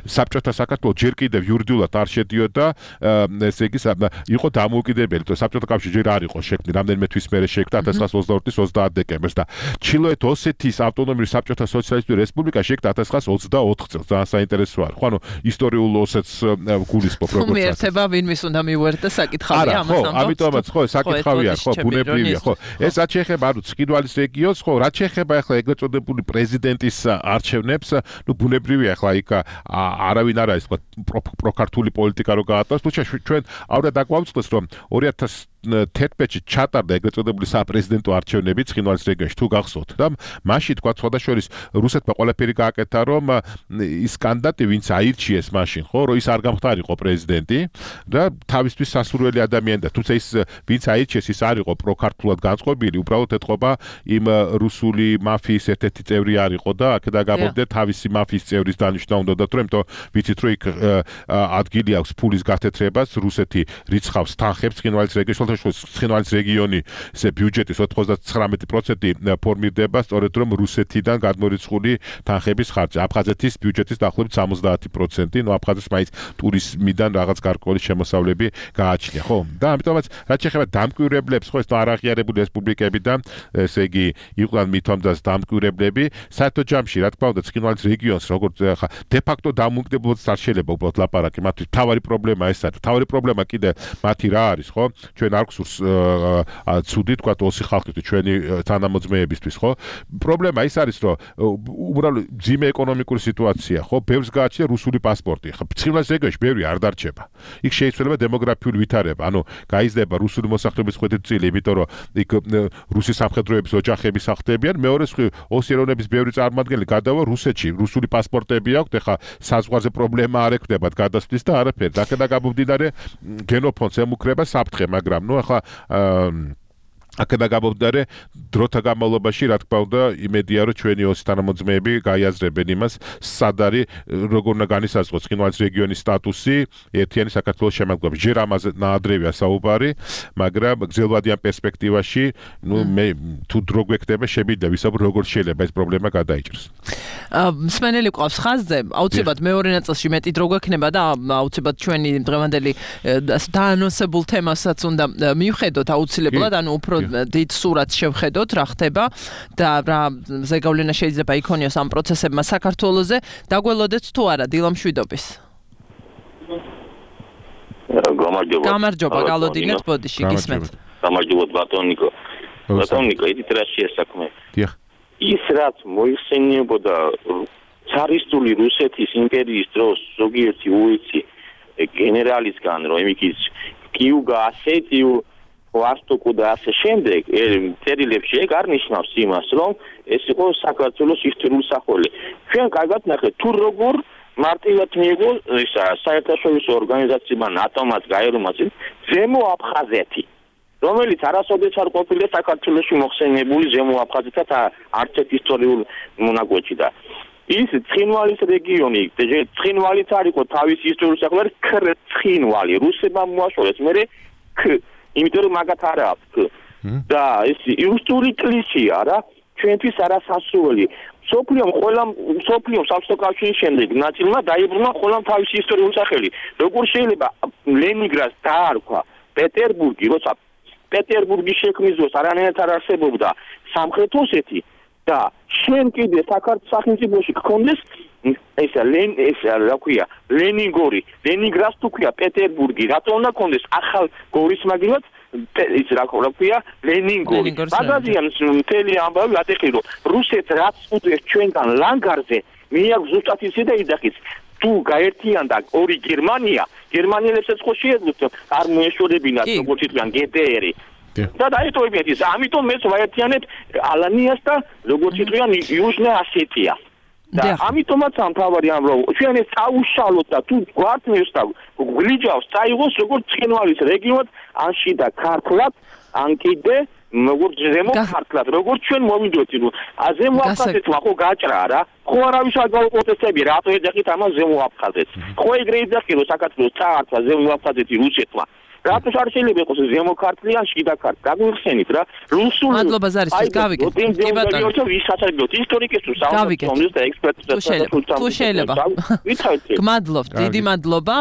საბჭოთა საქართველოს ჯერ კიდევ იურიდიულად არ შედიოდა, ესე იგი იყო დამოუკიდებელი, თუ საბჭოთა კავშირი ჯერ არ იყო შექმნილი, რამდენიმე თვის მერე შექმნა ათას ცხრაას ოცდაორი წლის ოცდაათ დეკემბერს და ჩრდილოეთ ოსეთის ავტონომიური საბჭოთა სოციალისტური რესპუბლიკა შექმნა ათას ცხრაას ოცდაოთხ წელს. ძალიან საინტერესო არის. ხო, ანუ ისტორიულ ოსეთს გულისხმობ როგორც ასე. მიერთება ვინმის უნდა მივუერთდა საკითხავია ამას ამბობთ. ხო, ამიტომაც ხო, საკითხავია, ხო, ბუნებრივია, ხო. ეს რაც შეეხება ანუ ცხინვალის რეგიონს, ხო, რაც შეეხება ახლა ეგრეთ წოდებული პრეზიდენტის არჩევნებს, ნუ ბუნებრივია ახლა იქ არავინ არ არის, თქვა პროქართული პოლიტიკა რო გაატაროს, თუმცა ჩვენ აუდა დაგვამწყდეს რომ ორი ათას თერთმეტში ჩატარდა ეგრეთ წოდებული საპრეზიდენტო არჩევნები ცხინვალის რეგიონში თუ გახსოვთ და მაშინ თქვა სხვადასხვაშორის რუსეთმა ყველაფერი გააკეთა რომ ის კანდიდატი ვინც აირჩიეს მაშინ ხო რომ ის არ გამხდარიყო პრეზიდენტი და თავისთვის სასურველი ადამიანი და თუმცა ის ვინც აირჩიეს ის არ იყო პროქართულად განწყობილი უბრალოდ ეთყობა იმ რუსული მაფიის ერთ-ერთი წევრი არ იყო და აქედან გამომდინარე თავისი მაფიის წევრის დანიშნა უნდა თუ იმიტომ ვიცით რომ იქ ადგილი აქვს ფულის გათეთრებას რუსეთი რიცხავს თანხებს ცხინვალის რეგიონში ცხინვალის რეგიონი ესე ბიუჯეტის ოცდათვრამეტი პროცენტი ფორმირდება სწორედ რომ რუსეთიდან გადმორიცხული თანხების ხარჯი აფხაზეთის ბიუჯეტის დაახლოებით სამოცდაათი პროცენტი ნუ აფხაზეთს მაინც ტურიზმიდან რაღაც გარკვეული შემოსავლები გააჩნია ხო და ამიტომაც რაც შეეხება დამკვირვებლებს ხო ეს არაღიარებული რესპუბლიკები და ესე იგი იყვნენ მithomdas დამკვირვებლები საერთო ჯამში რა თქმა უნდა ცხინვალის რეგიონს როგორც ხა დე-ფაქტო დამოუკიდებლობაც არ შეიძლება უბრალოდ ლაპარაკი მათთვის თავარი პრობლემა ეს არის თავარი პრობლემა კიდე მათი რა არის ხო ჩვენ არ გსურს ცუდი თქვა ოსი ხალხისთვის ჩვენი თანამოძმეებისთვის ხო პრობლემა ის არის რომ უბრალოდ ძიმე ეკონომიკური სიტუაცია ხო ბევრს გააჩნია რუსული პასპორტი ხო ცხინვალის რეგიონში ბევრი არ დარჩება იქ შეიძლება დემოგრაფიული ვითარება ანუ გაიზრდება რუსული მოსახლეობის ხვედრწილი იმიტომ რომ იქ რუსი სამხედროების ოჯახები სახლდებიან მეორე ოსი ეროვნების ბევრი წარმომადგენელი გადავა რუსეთში რუსული პასპორტები აქვთ ეხა საზღვარზე პრობლემა არ ექნებათ გადასვლის და არაფერი აქედან გამომდინარე გენოფონდს ემუქრება საფრთხე მაგრამ ნუ ახლა აქედან გამომდინარე დროთა განმავლობაში რა თქმა უნდა იმედია რომ ჩვენი ოსი თანამოძმეები გაიაზრებენ იმას სად არის როგორ უნდა განისაზღვროს ცხინვალის რეგიონის სტატუსი ერთიანი საქართველოს შემადგენლობაში ჯერ ამაზე ნაადრევია საუბარი მაგრამ გრძელვადიან პერსპექტივაში ნუ მე თუ დრო გვექნება შემიძლია ვისაუბროთ როგორ შეიძლება ეს პრობლემა გადაიჭრას მსმენელი ყავს ხაზზე აუცილებლად მეორე ნაწილში მეტი დრო გვექნება და აუცილებლად ჩვენი დღევანდელი დაანონსებულ თემასაც უნდა მივხედოთ აუცილებლად ანუ უფრო დიდ სურათს შევხედოთ რა ხდება და რა ზეგავლენა შეიძლება იქონიოს ამ პროცესებმა საქართველოზე დაგველოდეთ თუ არა დილამშვიდობის გამარჯობა გამარჯობა გალოდინეთ ბოდიში გისმენთ გამარჯობა ბატონიკო ბატონიკო იდით რა შეესაქმე დიახ ის რაც მოიხსენიებოდა цаრისტული რუსეთის იმპერიის დროს ზოგიერთი უიცი გენერალისგან რომ იმის კიუგა ასეთიუ ვასტოკუ და ასე შემდეგ წერილებში ეგ არ ნიშნავს იმას რომ ეს იყო საქართველოს ისტორიული სახელი ჩვენ კარგად ნახეთ თუ როგორ მარტივად მიიღო ისა საერთაშორისო ორგანიზაციებმა ნატომაც გაერომაც ზემო აფხაზეთი რომელიც არასოდეს არ ყოფილა საქართველოში მოხსენებული ზემო აფხაზეთთან არც ერთ ისტორიულ მონაკვეთში და ის ცხინვალის რეგიონი ცხინვალიც არ იყო თავის ისტორიული სახელი ქრცხინვალი რუსებმა მოაშორეს მე ქ იმიტომ რომ მაგათ არ აქვს და ეს ისტორიული კლიშეა რა ჩვენთვის არასასურველი სოფლიომ ყველა სოფლიომ საბჭოთა კავშირის შემდეგ ნაწილმა დაიბრუნა ყველა თავისი ისტორიული სახელი როგორ შეიძლება ლენინგრადს დაარქვა პეტერბურგი როცა პეტერბურგის შექმნის დროს არანაირად არ არსებობდა სამხრეთ ოსეთი და შენ კიდე საქართველოს სახელმწიფოში გქონდეს ესა ლენ ესა რა ქვია ლენინგორი ლენინგრადს თუ ქვია პეტერბურგი რატო უნდა გქონდეს ახალ გორის მაგილად ის რა ქვია ლენინგორი მაგაზიან მთელი ამბავი ატეხი რომ რუსეთს რაც უდრეს ჩვენგან ლანგარზე მე აქვს ზუსტად ისე და იდახის თუ გაერთიანდა ორი გერმანია გერმანელებსაც ხო შეეძლოთ არ მოეშორებინათ როგორც თქვენ გდრ და დაეტოვებიათ ის ამიტომ მეც ვაერთიანებ ალანიას და როგორც თქვენ იუჟნა ასეტია და ამიტომაც ამ თავარი ამ რომ ჩვენ ეს წაუშალოთ და თუ გვართმევს და გლიჯავს წაიღოს როგორც ცხინვალის რეგიონად ანში და ქართლად ან კიდე როგორც ზემო ქართლად როგორც ჩვენ მოვიდოთ ნუ ზემო აფხაზეთმა ხო გაჭრა რა ხო არავის არ გავუპროტესტები რატო ეძახით ამას ზემო აფხაზეთს ხო ეგრე ეძახი რომ საქართველოს წაართვა ზემო აფხაზეთი რუსეთმა რატო არ შეიძლება იყოს ზემო ქართლი ან შიდა ქართლი გაგვიხსენით რა რუსული მადლობა ზარისთვის გავიგეთ კი ბატონო ვისაცადოთ ისტორიკისთვის საუბრობთ და ექსპერტებთან თუ შეიძლება გმადლობთ დიდი მადლობა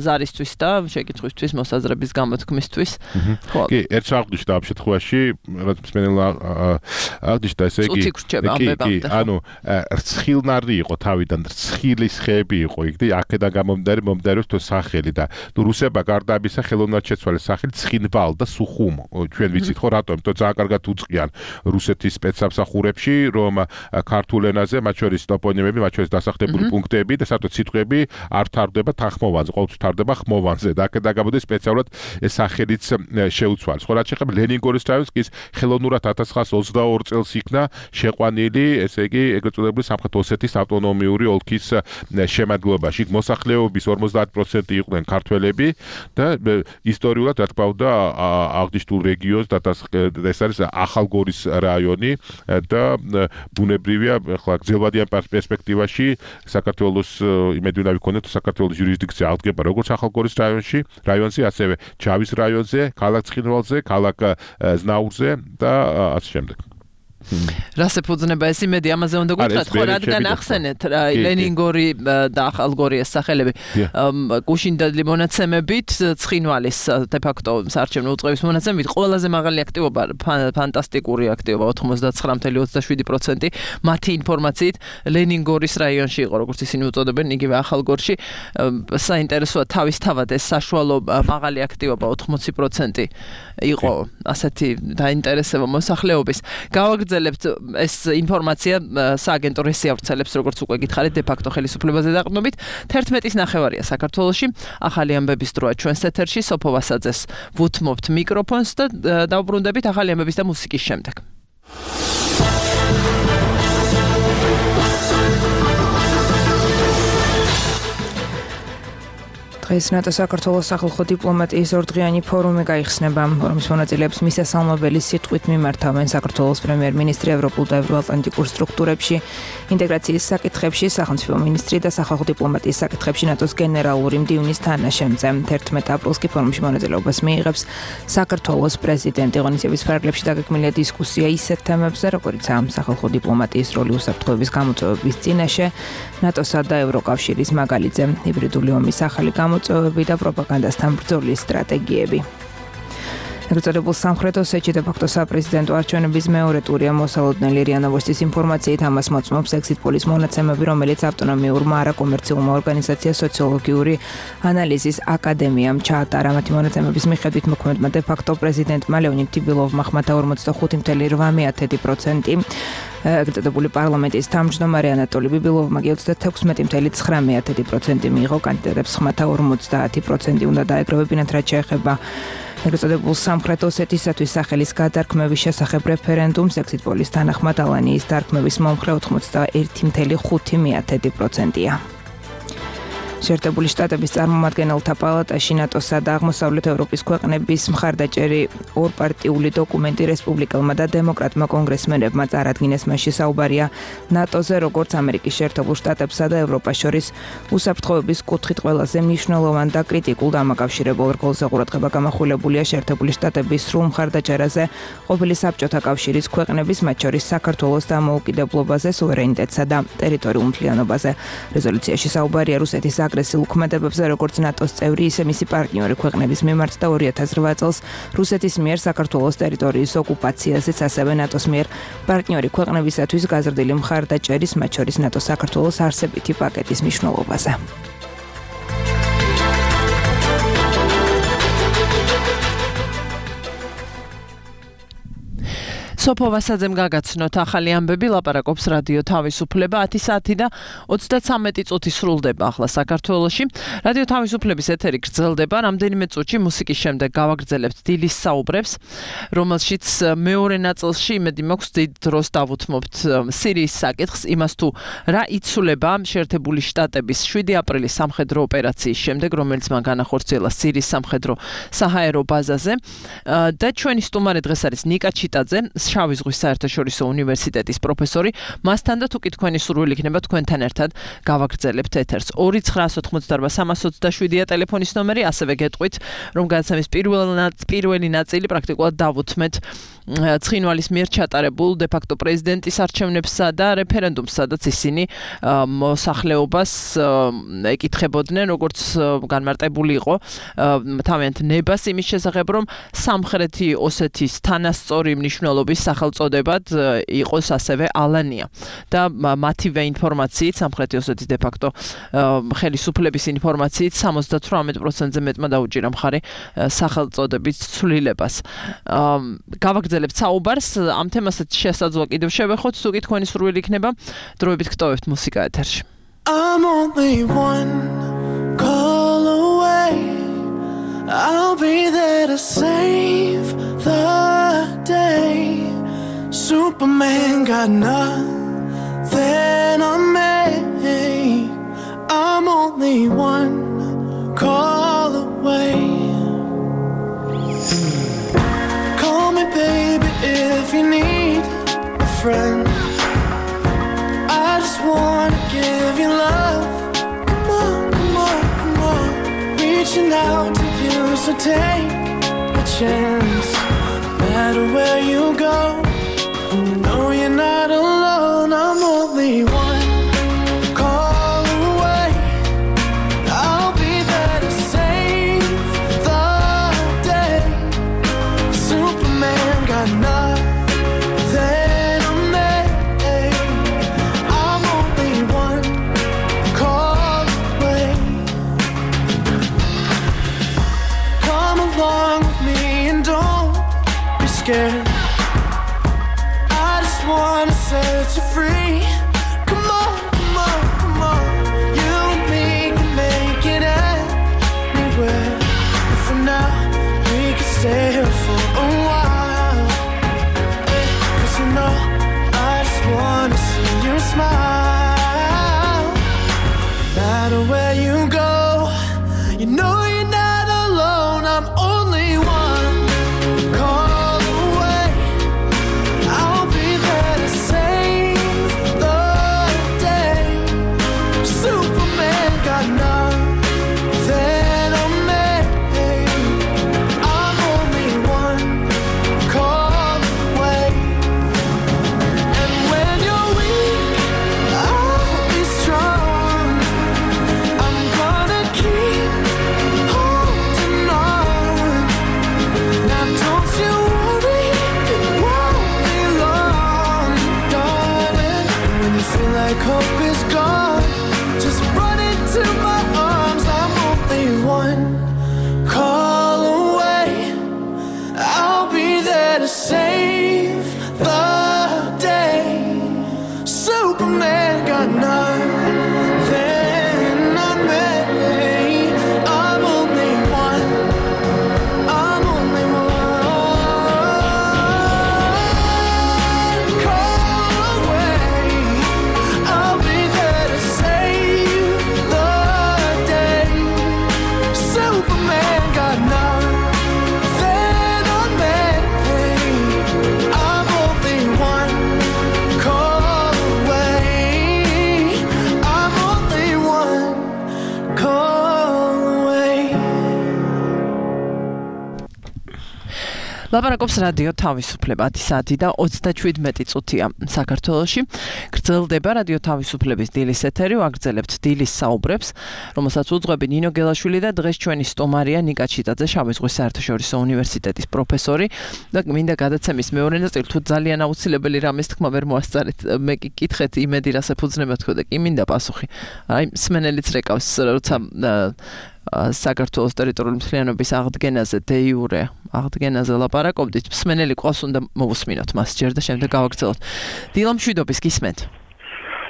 ზარისთვის და შეკითხვისთვის მოსაზრების გამოთქმისთვის ხო კი ერთ საერთოდ ამ შემთხვევაში რაც მსმენელმა აღნიშნა ესე იგი კი ანუ რცხილნარი იყო თავიდან რცხილის ხეები იყო იქ და აქედან გამომდინარე მომდინარეობს თუ სახელი და თუ რუსებმა გარდა ამისა ხელოვნურად შეცვალე სახელი ცხინვალ და სუხუმ. ჩვენ ვიცით ხო რატომ? იმიტომ ძალიან კარგად უწყიან რუსეთის სპეცსამსახურებში, რომ ქართულ ენაზე, მათ შორის ტოპონიმები, მათ შორის დასახლებული პუნქტები და საერთოდ სიტყვები არ თარდება თანხმოვანზე, ყოველთვის თარდება ხმოვანზე. და აქედან გამოდის სპეციალურად ეს სახელიც შეუცვალეს. ხო, რაც შეეხება ლენინგორის რაიონს, კი ხელოვნურად ათას ცხრაას ოცდაორი წელს იქნა შეყვანილი, ესე იგი, ეგრეთ წოდებული სამხრეთ ოსეთის ავტონომიური ოლქის შემადგენლობაში. იქ მოსახლეობის ორმოცდაათი პროცენტი იყვნენ ქართველები და ისტორიულად რა თქმა უნდა აღნიშნულ რეგიონს და ეს არის ახალგორის რაიონი და ბუნებრივია, ახლა გრძელვადიან პერსპექტივაში საქართველოს იმედი უნდა ვიქონოთ საქართველოს იურისდიქცია აღდგება როგორც ახალგორის რაიონში, რაიონზე, ასევე ჩავის რაიონზე, ქალაქ ცხინვალზე, ქალაქ ზნაურზე და ასე შემდეგ. რას ეფუძნება ეს იმედი ამაზე უნდა გითხრათ ხო რადგან ახსენეთ ლენინგორი და ახალგორი ეს სახელები გუშინდელი მონაცემებით ცხინვალის de facto საარჩევნო უწყების მონაცემებით ყველაზე მაღალი აქტივობა ფანტასტიკური აქტივობა ოცდათხმეტ ცხრა ოცდაშვიდი პროცენტი მათი ინფორმაციით ლენინგორის რაიონში იყო როგორც ისინი უწოდებენ იგივე ახალგორში საინტერესოა თავისთავად ეს საშუალო მაღალი აქტივობა ოთხმოცი პროცენტი იყო ასეთი დაინტერესება მოსახლეობის გავაგრძელებთ ეს ინფორმაცია სააგენტო რესი ავრცელებს როგორც უკვე გითხარით de facto ხელისუფლებაზე დაყრდნობით თერთმეტის ნახევარია საქართველოში ახალი ამბების დროა ჩვენს ეთერში სოფო ვასაძეს ვუთმობთ მიკროფონს და დავბრუნდებით ახალი ამბების და მუსიკის შემდეგ დღეს ნატო საქართველოს სახალხო დიპლომატიის ორდღიანი ფორუმი გაიხსნება. ფორუმის მონაწილეებს მისასალმებელი სიტყვით მიმართავენ საქართველოს პრემიერ-მინისტრი ევროპულ და ევროატლანტიკურ სტრუქტურებში, ინტეგრაციის საკითხებში, სახელმწიფო მინისტრი და სახალხო დიპლომატიის საკითხებში ნატოს გენერალური მდივნის თანაშემწე. თერთმეტ აპრილს კი ფორუმში მონაწილეობას მიიღებს საქართველოს პრეზიდენტი. ღონისძიების ფარგლებში დაგეგმილია დისკუსია ისეთ თემებზე, როგორიცაა სახალხო დიპლომატიის როლი უსაფრთხოების გამოწვევების წინაშე, ნატოსა და ევროკავშირის მაგალითზე, ჰიბრიდული ომის ახალი გამოწვევები და პროპაგანდასთან ბრძოლის სტრატეგიები. ეგრეთწოდებულ სამხრეთ ოსეთში de facto საპრეზიდენტო არჩევნების მეორე ტურია მოსალოდნელი რია ნოვოსტის ინფორმაციით ამას მოწმობს exit polls მონაცემები, რომელიც ავტონომიურმა არაკომერციულმა ორგანიზაცია სოციოლოგიური ანალიზის აკადემიამ ჩაატარა. მათი მონაცემების მიხედვით მოქმედმა de facto პრეზიდენტმა ლეონიდ ტიბილოვმა ხმათა ორმოცდახუთი წუთი ორმოცდაათი პროცენტი ეგრეთწოდებული პარლამენტის თავმჯდომარე ანატოლი ბიბილოვმა ოცდათექვსმეტი წუთი ცხრამეტი პროცენტი მიიღო. კანდიდატებს ხმათა ორმოცდაათი პროცენტი უნდა დაეკრებებინათ, რაც შეეხება ეგრეთწოდებულ სამხრეთ ოსეთისათვის სახელის გადარქმევის შესახებ რეფერენდუმს. exit polls თანახმად ალანიის დარქმევის მომხრე ოცდაერთი წუთი ხუთი პროცენტია. შეერთებული შტატების წარმომადგენელთა პალატაში ნატოსა და აღმოსავლეთ ევროპის ქვეყნების მხარდაჭერი ორპარტიული დოკუმენტი რესპუბლიკელმა და დემოკრატმა კონგრესმენებმა წარადგინეს. მასში საუბარია ნატოზე, როგორც ამერიკის შეერთებულ შტატებსა და ევროპას შორის უსაფრთხოების კუთხით ყველაზე მნიშვნელოვან და კრიტიკულ დამაკავშირებელ რგოლზე ყურადღება გამახვილებულია შეერთებული შტატების სრულ მხარდაჭერაზე ყოფილი საბჭოთა კავშირის ქვეყნების, მათ შორის საქართველოს დამოუკიდებლობაზე, სუვერენიტეტსა და ტერიტორიულ მთლიანობაზე. რეზოლუციაში საუბარია რუსეთის აგრესიულ ქმედებებზე, როგორც ნატოს წევრი, ისე მისი პარტნიორი ქვეყნების მიმართ და ორი ათას რვა წელს რუსეთის მიერ საქართველოს ტერიტორიის ოკუპაციაზეც, ასევე ნატოს მიერ პარტნიორი ქვეყნებისათვის გაზრდილი მხარდაჭერის, მათ შორის ნატოს საქართველოს არსებითი პაკეტის მნიშვნელობაზე. სოფო ვასაძემ გაგაცნოთ ახალი ამბები, ლაპარაკობს რადიო თავისუფლება. ათი საათი და ოცდაცამეტი წუთი სრულდება ახლა საქართველოში. რადიო თავისუფლების ეთერი გრძელდება. რამდენიმე წუთში მუსიკის შემდეგ გავაგრძელებთ დილის საუბრებს, რომელშიც მეორე ნაწილში იმედი მაქვს დიდ დროს დავუთმობთ სირიის საკითხს, იმას თუ რა იცვლება შეერთებული შტატების შვიდი აპრილის სამხედრო ოპერაციის შემდეგ, რომელიც მან განახორციელა სირიის სამხედრო საჰაერო ბაზაზე. და ჩვენი სტუმარი დღეს არის ნიკა ჩიტაძე, შავი ზღვის საერთაშორისო უნივერსიტეტის პროფესორი. მასთან და თუკი თქვენი სურვილი იქნება თქვენთან ერთად გავაგრძელებთ ეთერს. ორი ცხრაას ოცდაოთხმოცდაარბა სამას ოცდაშვიდია ტელეფონის ნომერი, ასევე გეტყვით, რომ გადაცემის პირველი ნაწილი პრაქტიკულად დავუთმეთ ცხინვალის მიერ ჩატარებულ de facto პრეზიდენტის არჩევნებსა და რეფერენდუმს, სადაც ისინი მოსახლეობას ეკითხებოდნენ, როგორც განმარტებული იყო თავიანთ ნებას იმის შესახებ, რომ სამხრეთი ოსეთის თანასწორი მნიშვნელობის სახელწოდებად იყოს ასევე ალანია და მათივე ინფორმაციით სამხრეთი ოსეთის de facto ხელისუფლების ინფორმაციით სამოცდათვრამეტ პროცენტზე მეტმა დაუჭირა მხარი სახელწოდების ცვლილებას. გავაგრძელებთ საუბარს ამ თემასაც შესაძლოა კიდევ შევეხოთ თუ კი თქვენი სურვილი იქნება დროებით გტოვებთ მუსიკა ეთერში. I'm only one call away. I'll be there to save the day. Superman got nothing on me. I'm only one call away. Call me baby if you need a friend. I just wanna give you love. Come on, come on, come on. Reaching out to you, so take a chance. No matter where you go, know you're not alone. I'm only one call away. I'll be there to save the day. Superman got nothing on me. I'm only one call away. Come along with me and don't be scared. I just wanna set you free. Come on, come on, come on. You and me can make it anywhere. But for now, we can stay here for a while. Eh, 'cause you know, I just wanna see you smile. No matter where you go, you know you're not alone. I'm only one call away. I'll be there to save the day. Superman got nothing on me. I'm only one call away. And when you're weak, I'll be strong. I'm gonna keep holding on. Now don't you worry, it won't be long, darling. When you feel like hope is gone, just run into my arms. I'm only one call away. I'll be there to save the day. Superman got nothing on me. I'm only one. I'm only one call away. I'll be there to save the day. Superman got nothing on me. I'm only one call away. I'm only one call away. ლაპარაკობს რადიო თავისუფლება ათი საათი და ოცდაშვიდმეტი წუთია საქართველოში. გრძელდება რადიო თავისუფლების დილის ეთერი, ვაგრძელებთ დილის საუბრებს, რომელსაც უძღვები ნინო გელაშვილი და დღეს ჩვენი სტუმარია ნიკა ჩიტაძე, შავი ზღვის საერთაშორისო უნივერსიტეტის პროფესორი და მინდა გადაცემის მეორე ნაწილი თუ ძალიან აუცილებელი რამის თქმა ვერ მოასწარეთ, მე კი კითხეთ იმედი რას ეფუძნება თქო და კი მინდა პასუხი. აი მსმენელიც რეკავს, როცა საქართველოს ტერიტორიული მთლიანობის აღდგენაზე დე იურე აღდგენაზე ლაპარაკობდით, მსმენელი ყავს უნდა მოვუსმინოთ მას ჯერ და შემდეგ გავაგრძელოთ. დილა მშვიდობის გისმენთ.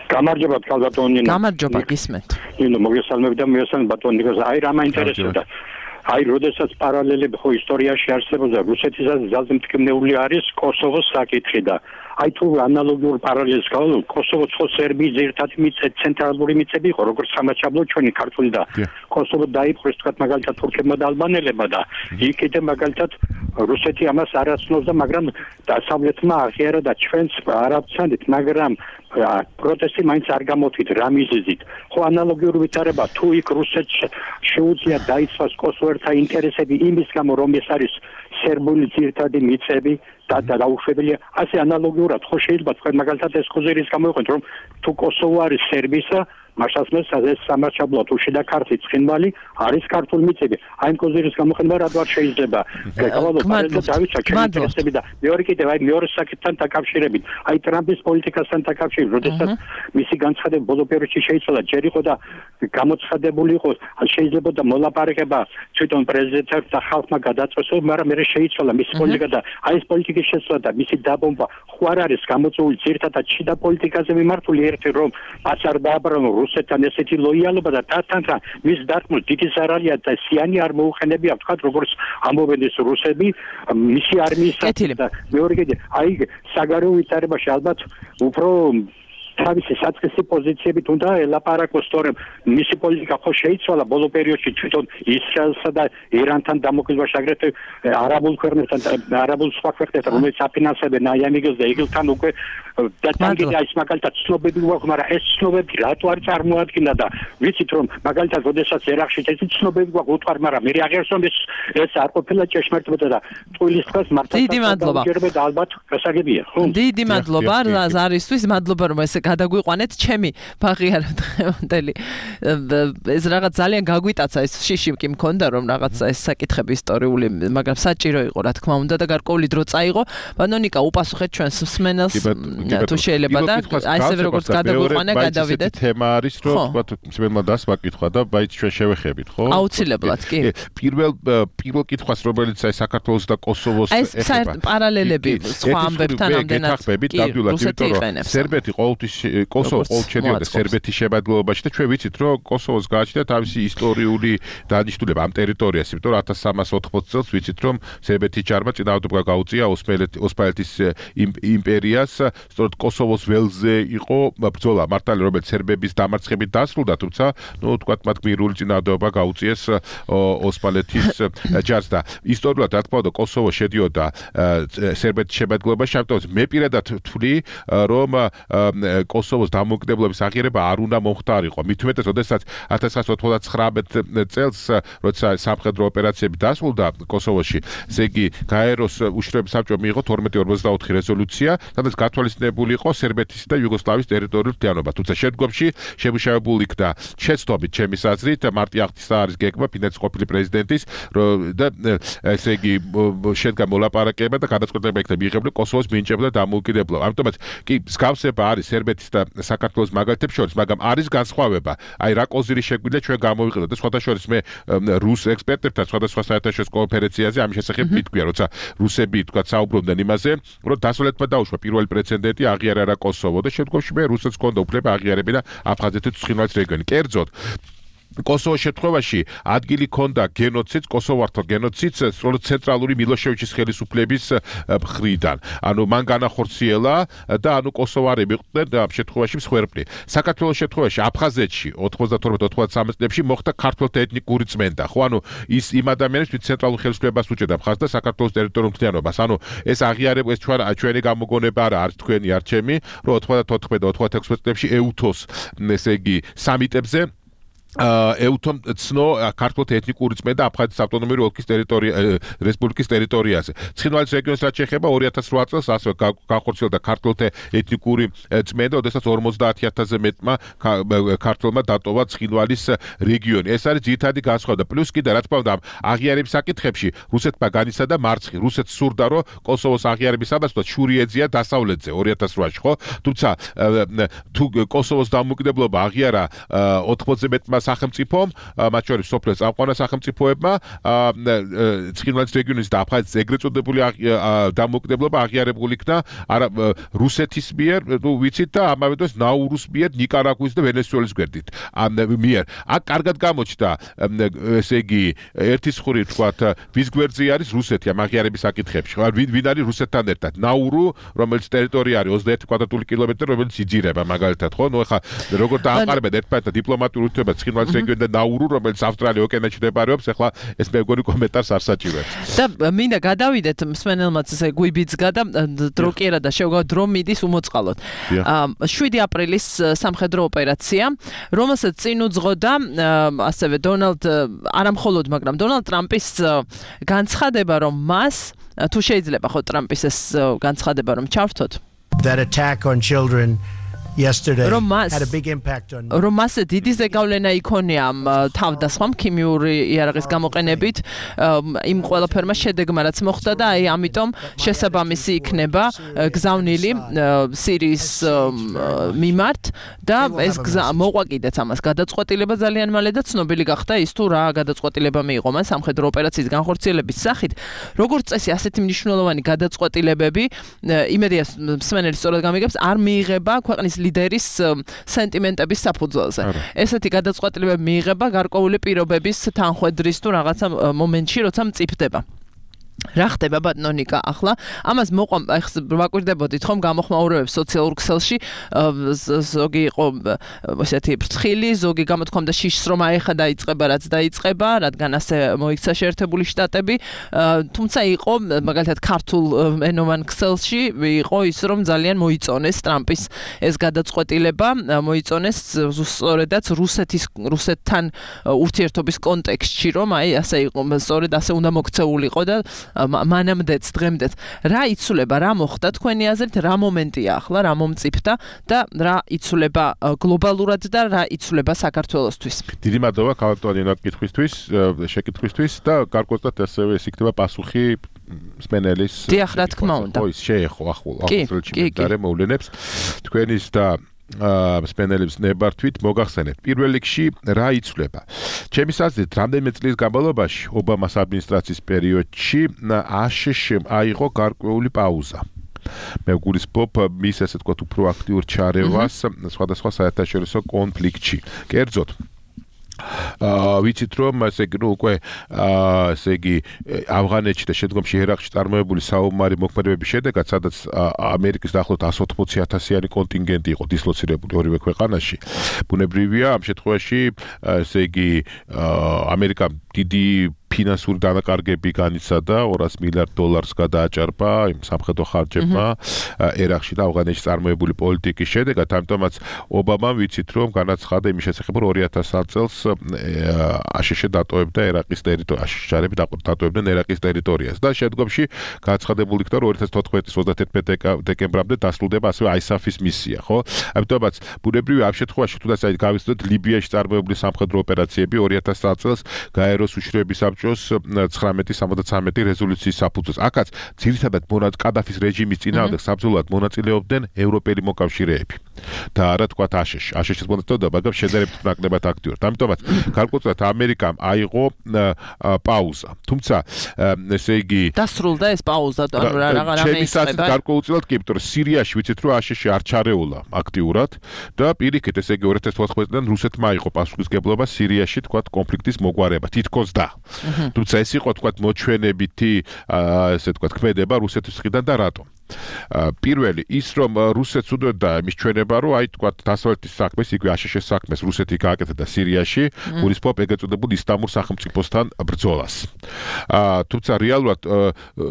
გამარჯობა ბატონო ნინო. გამარჯობა გისმენთ. ნინო მოგესალმები და მიესალმები ბატონო ნიკოს. აი რა მაინტერესებდა. აი როდესაც პარალელები ხო ისტორიაში არსებობდა რუსეთისაც ძალზე მტკივნეული არის კოსოვოს საკითხი და აი თუ ანალოგიურ პარალელს გავავლო კოსოვოს ხო სერბიის ერთად მიწე ცენტრალური მიწები იყო როგორც სამაჩაბლო ჩვენი ქართული და კოსოვო დაიპყრეს თქვათ მაგალითად თურქებმა და ალბანელებმა და იქ კიდე მაგალითად რუსეთი ამას არ აცნობს და მაგრამ დასავლეთმა აღიარა და ჩვენც არ ავცანდით მაგრამ პროტესტი მაინც არ გამოთვით რა მიზეზით ხო ანალოგიური ვითარება თუ იქ რუსეთს შეუძლია დაიცვას კოსოვერთა ინტერესები იმის გამო რომ ეს არის სერბული ძირითადი მიწები და დაუშვებელია ასე ანალოგიურად ხო შეიძლება თქვენ მაგალითად ეს ხოზერის გამოიყენოთ რომ თუ კოსოვო არის სერბისა მაშასმეს ეს სამარჩაბლო თუ შიდა ქართლი ცხინვალი არის ქართული მიწები. აი იმ კოზირის გამოყენება რადგან შეიძლება გეკავალო პარალელურად დავიჩა ჩემი და მეორე კიდევ აი მეორე საკითხთან დაკავშირებით აი ტრამპის პოლიტიკასთან დაკავშირებით როდესაც მისი განცხადება ბოლო პერიოდში შეიცვალა ჯერ იყო და გამოცხადებული იყო შეიძლება და მოლაპარაკება თვითონ პრეზიდენტს და ხალხმა გადაწყვეტს მაგრამ მე შეიცვალა მისი პოლიტიკა და აი ეს პოლიტიკის შესვლა და მისი დაბომბვა ხო არ არის გამოწვეული ძირითადად შიდა პოლიტიკაზე მიმართული ერთი რომ მას არ დააბრუნო რუსეთთან ესეთი ლოიალობა და თათანთან მის დარტყმას დიდი ზარალია და სიანი არ მოუხენებია ვთქვათ როგორც ამბობენ ეს რუსები მისი არმიის და მეორე კიდე აი საგარეო ვითარებაში ალბათ უფრო თავისი საწყისი პოზიციებით უნდა ელაპარაკოს თორემ მისი პოლიტიკა ხო შეიცვალა ბოლო პერიოდში თვითონ ისრაელსა და ირანთან დამოუკიდებლობაში აგრეთვე არაბულ ქვეყნებთან არაბულ სხვა ქვეყნებთან რომელიც აფინანსებენ აი ამიგოს და იგილთან უკვე და თანგიდა ის მაგალითად ცნობები გვაქვს მაგრამ ეს ცნობები რატო არ წარმოადგენა და ვიცით რომ მაგალითად როდესაც ერაყში ეს ცნობები გვაქვს უთვარ მაგრამ მე აღერსონ ეს ეს არ ყოფილა ჭეშმარიტება და ტყუილის დღეს მართლა დიდი მადლობა და ალბათ გასაგებია ხო დიდი მადლობა ზარისთვის მადლობა რომ ესე გადაგვიყვანეთ ჩემი ბაღი არა დღევანდელი ეს რაღაც ძალიან გაგვიტაცა ეს შიში კი მქონდა რომ რაღაცა ეს საკითხები ისტორიული მაგრამ საჭირო იყო რა თქმა უნდა და გარკვეული დრო წაიღო ბანონიკა უპასუხეთ ჩვენს მსმენელს თუ შეიძლება და აი ესე როგორც გადაგვიყვანა გადავიდეთ თემა არის რომ თქვა მსმენელმა დასმა კითხვა და ბაიც ჩვენ შევეხებით ხო აუცილებლად კი პირველ პირველ კითხვას რომელიც აი საქართველოს და კოსოვოს ეხება ეს პარალელები სხვა ამბებთან ამდენად გეთახმებით ნამდვილად იმიტომ რომ სერბეთი ყოველთვის კოსოვო ყოველჩენიოდა სერბეთის შემადგენლობაში და ჩვენ ვიცით რომ კოსოვოს გააჩნდა თავისი ისტორიული დანიშნულება ამ ტერიტორიას იმიტომ რომ ათას სამას ოთხმოცი წელს ვიცით რომ სერბეთის ჯარმა წინააღმდეგ გაუწია ოსმალეთის იმპერიას სწორედ კოსოვოს ველზე იყო ბრძოლა მართალი რომელიც სერბების დამარცხებით დასრულდა თუმცა ნუ თქვათ მათ გმირული წინააღმდეგობა გაუწიეს ოსმალეთის ჯარს და ისტორიულად რა თქმა უნდა კოსოვო შედიოდა სერბეთის შემადგენლობაში ამიტომ მე პირადად ვთვლი რომ კოსოვოს დამოუკიდებლობის აღიარება არ უნდა მომხდარიყო. მით უმეტეს, როდესაც ათას ცხრაასა ოცდაათმეტ წელს, როცა სამხედრო ოპერაციები დასრულდა კოსოვოში, ესე იგი გაეროს უშუალო საბჭომ მიიღო თორმეტი ორმოცდაოთხი რეზოლუცია, სადაც გათვალისწინებული იყო სერბეთის და იუგოსლავიის ტერიტორიული მთლიანობა. თუმცა შემდგომში შემუშავებული იქნა შეცდომით ჩემის აზრით მარტი აღთისა არის გეგმა ფინეთის ყოფილი პრეზიდენტის და ესე იგი შედგა მოლაპარაკება და გადაწყვეტილება იქნა მიიღებული კოსოვოს მინიჭება და დამოუკიდებლობა. ამიტომაც კი მსგავსება არის სერბეთის და საქართველოს მაგალითებს შორის, მაგრამ არის განსხვავება. აი რა კოზირი შეგვიძლია ჩვენ გამოვიყენოთ და სხვათა შორის მე რუს ექსპერტებთან სხვადასხვა საერთაშორისო კონფერენციაზე ამის შესახებ მითქვია, როცა რუსები თქვა საუბრობდნენ იმაზე, რომ დასავლეთმა დაუშვა პირველი პრეცედენტი აღიარა რა კოსოვო და შემდგომში მე რუსეთს ჰქონდა უფლება აღიარებინა აფხაზეთის ცხინვალის რეგიონი. კერძოდ კოსოვოს შემთხვევაში ადგილი ჰქონდა გენოციდს, კოსოვართო გენოციდს სწორედ ცენტრალური მილოშევიჩის ხელისუფლების მხრიდან. ანუ მან განახორციელა და ანუ კოსოვარები იყვნენ ამ შემთხვევაში მსხვერპლი. საქართველოს შემთხვევაში აფხაზეთში ოთხმოცდათორმეტ ოთხმოცდამეც წლებში მოხდა ქართველთა ეთნიკური წმენდა. ხო, ანუ ის იმ ადამიანებს, ვინც ცენტრალურ ხელისუფლებას უჭერდა მხარს და საქართველოს ტერიტორიულ მთლიანობას. ანუ ეს აღიარება ეს ჩვენ ჩვენი გამოგონება არა, არის თქვენი არჩევანი, რომ ოთხმოცდათოთხმეტ და ოთხმოცდაექვსმეტ წლებში ეუთოს, ესე იგი, სამიტებზე ეუთომ ცნო ქართულთა ეთნიკური წმენდა აფხაზეთის ავტონომიური ოლქის ტერიტორია რესპუბლიკის ტერიტორიაზე. ცხინვალის რეგიონს რაც შეეხება ორი ათას რვა წელს ასევე განხორციელდა ქართულთა ეთნიკური წმენდა, როდესაც ორმოცდაათი ათასზე მეტმა ქართველმა დატოვა ცხინვალის რეგიონი. ეს არის ძირითადი განსხვავება. პლუს კიდე რა თქმა უნდა აღიარების საკითხებში რუსეთმა განიცადა მარცხი. რუსეთს სურდა რომ კოსოვოს აღიარების საბაზროდ შური ეძია დასავლეთზე ორი ათას რვაში, ხო? თუმცა თუ კოსოვოს დამოუკიდებლობა აღიარა ოთხმოცზე მეტმა სახელმწიფომ, მათ შორის სოფლის წამყვანა სახელმწიფოებმა, ცხინვალის რეგიონის და აფხაზეთის ეგრეთ წოდებული დამოუკიდებლობა აღიარებული იქნა რუსეთის მიერ, ნუ ვიცით და ამავე დროს ნაურუს მიერ, ნიკარაგუის და ვენესუელის გვერდით. მიერ. აქ კარგად გამოჩნდა, ესე იგი, ერთი ხური თქვათ, ვის გვერდზე არის რუსეთი ამ აღიარების საკითხებში. ვინ არის რუსეთთან ერთად? ნაურუ, რომელიც ტერიტორია არის ოცდაერთი კვადრატული კილომეტრი, რომელიც იძირება მაგალითად, ხო? ნუ ეხლა როგორ დააყარებენ ერთმანეთთან დიპლომატიურ ურთიერთობებს ცხინვალის რეგიონი და ნაურუ, რომელიც ავსტრალია ოკეანეში მდებარეობს, ეხლა ეს მე მგონი კომენტარს არ საჭიროებს. და მინდა გადავიდეთ მსმენელმაც ესე გვიბიძგა და დრო კი არა და შევგავ დრო მიდის უმოწყალოდ. შვიდი აპრილის სამხედრო ოპერაცია, რომელსაც წინ უძღოდა ასევე დონალდ არა მხოლოდ, მაგრამ დონალდ ტრამპის განცხადება, რომ მას თუ შეიძლება ხო ტრამპის ეს განცხადება რომ ჩავრთოთ. That attack on children yesterday რომ მას had a big impact on რომ მასე დიდი ზეგავლენა იქონია თავდასხმამ ქიმიური იარაღის გამოყენებით იმ ყველაფერმა შედეგმა რაც მოხდა და აი ამიტომ შესაბამისი იქნება გზავნილი სირიის მიმართ და ეს გზა მოყვა კიდეც ამას გადაწყვეტილება ძალიან მალე და ცნობილი გახდა ის თუ რა გადაწყვეტილება მიიღო მან სამხედრო ოპერაციის განხორციელების სახით როგორც წესი ასეთი მნიშვნელოვანი გადაწყვეტილებები იმედია მსმენელი სწორად გამიგებს არ მიიღება ქვეყნის ლიდერის სენტიმენტების საფუძველზე ესეთი გადაწყვეტილებები მიიღება გარკვეული პირობების თანხვედრის თუ რაღაცა მომენტში როცა მწიფდება რა ხდება ბატონო ნიკა ახლა ამას მოყვა ვაკვირდებოდით ხომ გამოხმაურებებს სოციალურ ქსელში ზოგი იყო ესეთი ფრთხილი ზოგი გამოთქვამდა შიშს რომ აი ხა დაიწყება რაც დაიწყება რადგან ასე მოიქცა შეერთებული შტატები თუმცა იყო მაგალითად ქართულ ენოვან ქსელში იყო ის რომ ძალიან მოიწონეს ტრამპის ეს გადაწყვეტილება მოიწონეს სწორედაც რუსეთის რუსეთთან ურთიერთობის კონტექსტში რომ აი ასე იყო სწორედ ასე უნდა მოქცეულიყო და მანამდეც დღემდეც რა იცვლება რა მოხდა თქვენი აზრით რა მომენტია ახლა რა მომწიფდა და რა იცვლება გლობალურად და რა იცვლება საქართველოსთვის დიდი მადლობა ქალბატონო კითხვისთვის შეკითხვისთვის და გარკვეულად ასევე ეს იქნება პასუხი სპენელის დიახ რა თქმა უნდა ხო ის შეეხო ახლა ახლა და მოვლენებს თქვენის და სპენელებს ნებართვით მოგახსენებთ პირველ რიგში რა იცვლება ჩემის აზრით რამდენიმე წლის განმავლობაში ობამას ადმინისტრაციის პერიოდში აშშ-მ აიღო გარკვეული პაუზა მე გულისხმობ მის ესე თქვა უფრო აქტიურ ჩარევას სხვადასხვა საერთაშორისო კონფლიქტში კერძოდ აა ვიცით რომ ესე იგი ნუ უკვე აა ესე იგი ავღანეთში და შემდგომში ერაყში წარმოებული საომარი მოქმედებების შედეგად სადაც ამერიკის დაახლოებით εκατს ოცდაოთხ ათასიანი კონტინგენტი იყო დისლოცირებული ორივე ქვეყანაში ბუნებრივია ამ შემთხვევაში ესე იგი ამერიკამ დიდი ფინანსური დანაკარგები განიცადა ორას მილიარდ დოლარს გადააჭარბა იმ სამხედრო ხარჯებმა ერაყში და ავღანეთში წარმოებული პოლიტიკის შედეგად ამიტომაც ობამამ ვიცით რომ განაცხადა იმის შესახებ რომ ორი ათას წელს აშშ დატოვებდა ერაყის ტერიტორიას აშშ-ები დატოვებდნენ ერაყის ტერიტორიას და შემდგომში გაცხადებული იქნა რომ ორი ათას თოთხმეტის ოცდათერთმეტი დეკემბრამდე დასრულდება ასევე აისაფის მისია ხო ამიტომაც ბუნებრივია ამ შემთხვევაში თუნდაც აი გავიცნოთ ლიბიაში წარმოებული სამხედრო ოპერაციები ორი ათას წელს გაეროს უშიშროების ცხრამეტი სამოცდათრამეტი რეზოლუციის საფუძველზე. აქაც ძირითადად მონად კადაფის რეჟიმის წინააღმდეგ საბრძოლოდ მონაწილეობდნენ ევროპელი მოკავშირეები. და არა თქვა აშშ. აშშ-ს მონაწილეობდა, მაგრამ შედარებით ნაკლებად აქტიურად. ამიტომაც გარკვეულად ამერიკამ აიღო პაუზა. თუმცა ესე იგი დასრულდა ეს პაუზა, ანუ რა რა რამე იწყება. გარკვეულად კი, იმიტომ რომ სირიაში ვიცით რომ აშშ არ ჩარეულა აქტიურად და პირიქით ესე იგი ორი ათას თოთხმეტიდან რუსეთმა აიღო პასუხისმგებლობა სირიაში თქვა კონფლიქტის მოგვარება. თითქოს და თუმცა ეს იყო თქვა მოჩვენებითი ესე თქვა ქმედება რუსეთის მხრიდან და რატომ პირველი ის რომ რუსეთს უდოდა იმის ჩვენება რომ აი თქვა დასავლეთის საქმეს იქვე აშშ-ის საქმეს რუსეთი გააკეთა და სირიაში გულისხმობ ეგ ეწოდებულ ისლამურ სახელმწიფოსთან ბრძოლას თუმცა რეალურად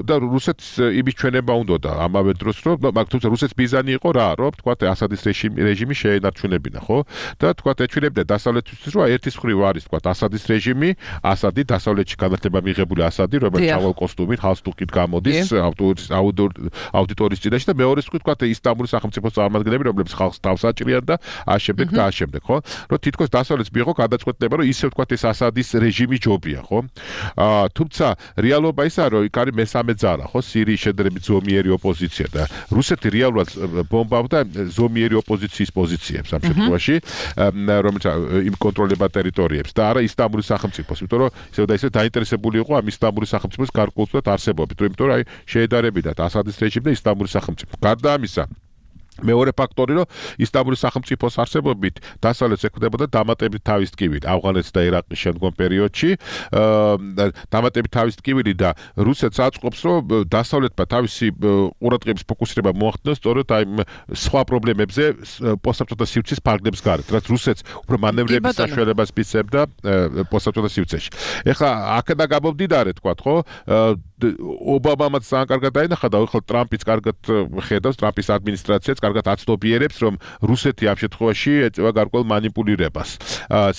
და რუსეთს იმის ჩვენება უნდოდა ამავე დროს რომ მაგ თუმცა რუსეთის მიზანი იყო რა რომ თქვა ასადის რეჟიმი რეჟიმი შეენარჩუნებინა ხო და თქვა ეჩვენებდა დასავლეთის რომ ერთის მხრივ არის თქვა ასადის რეჟიმი ასადი დასავლეთში განათლება მიღებული ასადი რომელიც ჩავალ კოსტუმით ჰალსტუკით გამოდის აუდიტორის წინაშე და მეორე თქვი თქვა ისლამური სახელმწიფოს წარმომადგენლები რომლებიც ხალხს თავს აჭრიან და აშემდე და აშემდე ხო რომ თითქოს დასავლეთს მიიღო გადაწყვეტილება რომ ისევ თქვა ეს ასადის რეჟიმი ჯობია ხო აა თუმცა რეალობა ისაა რომ იქ არის მესამე ძალა ხო სირიის შედარებით ზომიერი ოპოზიცია და რუსეთი რეალურად ბომბავდა ზომიერი ოპოზიციის პოზიციებს ამ შემთხვევაში რომელიც იმ კონტროლებად ტერიტორიებს და არა ისლამური სახელმწიფოს იმიტომ რომ ისევ და ისევ დაინტერესებული იყო ამ ისლამური სახელმწიფოს გარკვეულად არსებობით იმიტომ რომ აი შეედარებინათ ასადის რეჟიმი და ისლამური სახელმწიფო გარდა ამისა მეორე ფაქტორი რომ ისლამური სახელმწიფოს არსებობით დასავლეთს ეკვდებოდა დამატებით თავის ტკივილი ავღანეთს და ერაყის შემდგომ პერიოდში დამატებით თავის ტკივილი და რუსეთს აწყობს რომ დასავლეთმა თავისი ყურადღების ფოკუსირება მოახდინოს სწორედ აი სხვა პრობლემებზე პოსტსაბჭოთა სივრცის ფარგლებს გარეთ რაც რუსეთს უფრო მანევრების საშუალებას მისცემდა პოსტსაბჭოთა სივრცეში ეხლა აქედან გამომდინარე თქვა ხო ობამამაც ძალიან კარგად დაინახა და ახლა ტრამპიც კარგად ხედავს ტრამპის ადმინისტრაციაც კარგად აცნობიერებს, რომ რუსეთი ამ შემთხვევაში ეწევა გარკვეულ манипуლირებას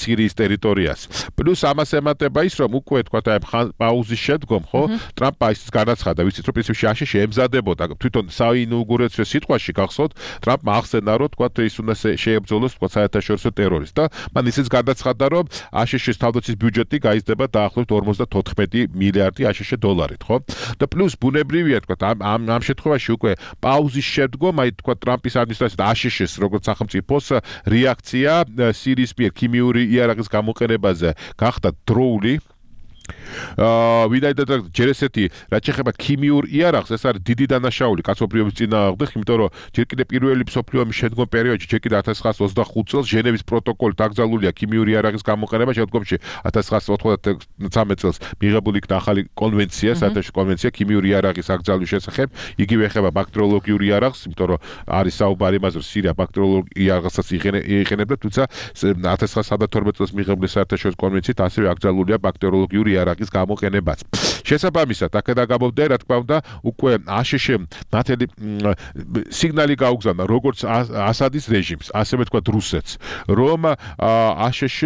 სირიის ტერიტორიას. პლუს ამას ემატება ის, რომ უკვე თქვა აი პაუზის შემდგომ, ხო, ტრამპმა ის განაცხადა, ვიცით, რომ პრინციპში აშშ ემზადებოდა თვითონ საინაუგურაციო სიტყვაში გახსოვთ, ტრამპმა ახსენა, რომ თქვა ის უნდა შეებრძოლოს თქვა საერთაშორისო ტერორისტს და მან ისიც განაცხადა, რომ აშშ-ის თავდაცვის ბიუჯეტი გაიზრდება დაახლოებით ორმოცდათოთხმეტი მილიარდი აშშ დოლარით, ხო? და პლუს ბუნებრივია თქვა ამ ამ შემთხვევაში უკვე პაუზის შემდგომ აი თქვა ტრამპის ადმინისტრაცია და აშშ-ს როგორც სახელმწიფოს რეაქცია სირიის მიერ ქიმიური იარაღის გამოყენებაზე გახდა დროული. აა ვინაიდან ჯერ ესეთი რაც შეეხება ქიმიურ იარაღს, ეს არის დიდი დანაშაული კაცობრიობის წინააღმდეგ, იმიტომ რომ ჯერ კიდევ პირველი მსოფლიო ომის შემდგომ პერიოდში, ჯერ კიდევ ათას ცხრაასი ოცდახუთ წელს ჟენევის პროტოკოლი დაკრძალულია ქიმიური იარაღის გამოყენება, შემდგომში ათას ცხრაასი ოცდათვრამეტ წელს მიღებული იქნა ახალი კონვენცია, საერთაშორისო კონვენცია ქიმიური იარაღის აკრძალვის შესახებ, იგივე ეხება ბაქტერიოლოგიურ იარაღს, იმიტომ რომ არის საუბარი იმაზე, რომ სირია ბაქტერიოლოგიურ იარაღსაც იყენებდა, თუმცა ათას ცხრაასი ოცდათორმეტ წელს მიღებული საერთაშორისო კონვენციით ასევე აკრძალულია ბაქტერიოლოგიური იარაღის გამოყენებაც. შესაბამისად, აქედან გამომდინარე, რა თქმა უნდა, უკვე აშშ ნათელი სიგნალი გაუგზავნა როგორც ასადის რეჟიმს, ასევე თქვა რუსეთს, რომ აშშ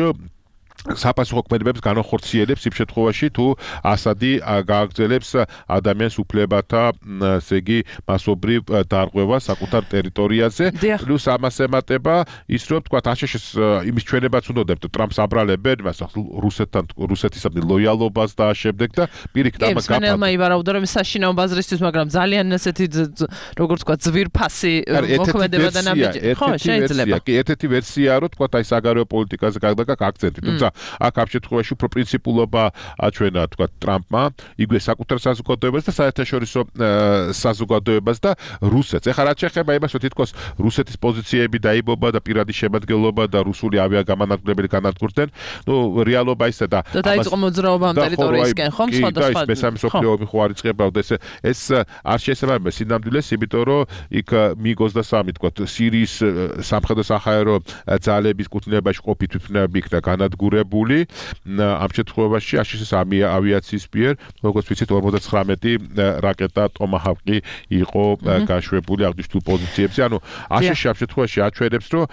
საპასუხო ქმედებებს განახორციელებს იმ შემთხვევაში, თუ ასადი გააგრძელებს ადამიანის უფლებათა, ესე იგი, მასობრივ დარღვევას საკუთარ ტერიტორიაზე, პლუს ამას ემატება ის, რომ თქვა აშშ-ს იმის ჩვენებაც უნდა დებთ ტრამპს აბრალებენ, მას რუსეთთან რუსეთისადმი ლოიალობას და შემდეგ და პირიქით ამას გაფართო. კი, მე ვარაუდო რომ საშინაო ბაზრისთვის, მაგრამ ძალიან ესეთი როგორც თქვა ძვირფასი მოქმედება და ნაბიჯი. ხო, შეიძლება. კი, ერთ-ერთი ვერსია რომ თქვა აი საგარეო პოლიტიკაზე გაგდაგა აქცენტი, თუმცა აქ ამ შემთხვევაში უფრო პრინციპულობა აჩვენა თქვა ტრამპმა, იგივე საკუთარ საზოგადოებას და საერთაშორისო საზოგადოებას და რუსეთს. ეხლა რაც შეეხება იმას, რომ თითქოს რუსეთის პოზიციები დაიბობა და პირადი შემადგენლობა და რუსული ავიაგამანადგურებელი განადგურდნენ, ნუ რეალობა ისე და და დაიწყო მოძრაობა ამ ტერიტორიისკენ, ხომ, სხვადასხვა. და მესამე მსოფლიო ომი ხო არ იწყებოდა ეს ეს არ შეესაბამება სინამდვილეს, იმიტომ რომ იქ მი ოცდასამი თქვა სირიის სამხედრო საჰაერო ძალების კუთვნილებაში ყოფი თვითმფრინავები იქნა განადგურებული. ამ შემთხვევაში აშშ-ის ავიაციის მიერ, როგორც ვიცით, ორმოცდათხრამეტი რაკეტა ტომაჰავკი იყო გაშვებული აღნიშნულ პოზიციებზე. ანუ აშშ ამ შემთხვევაში აჩვენებს, რომ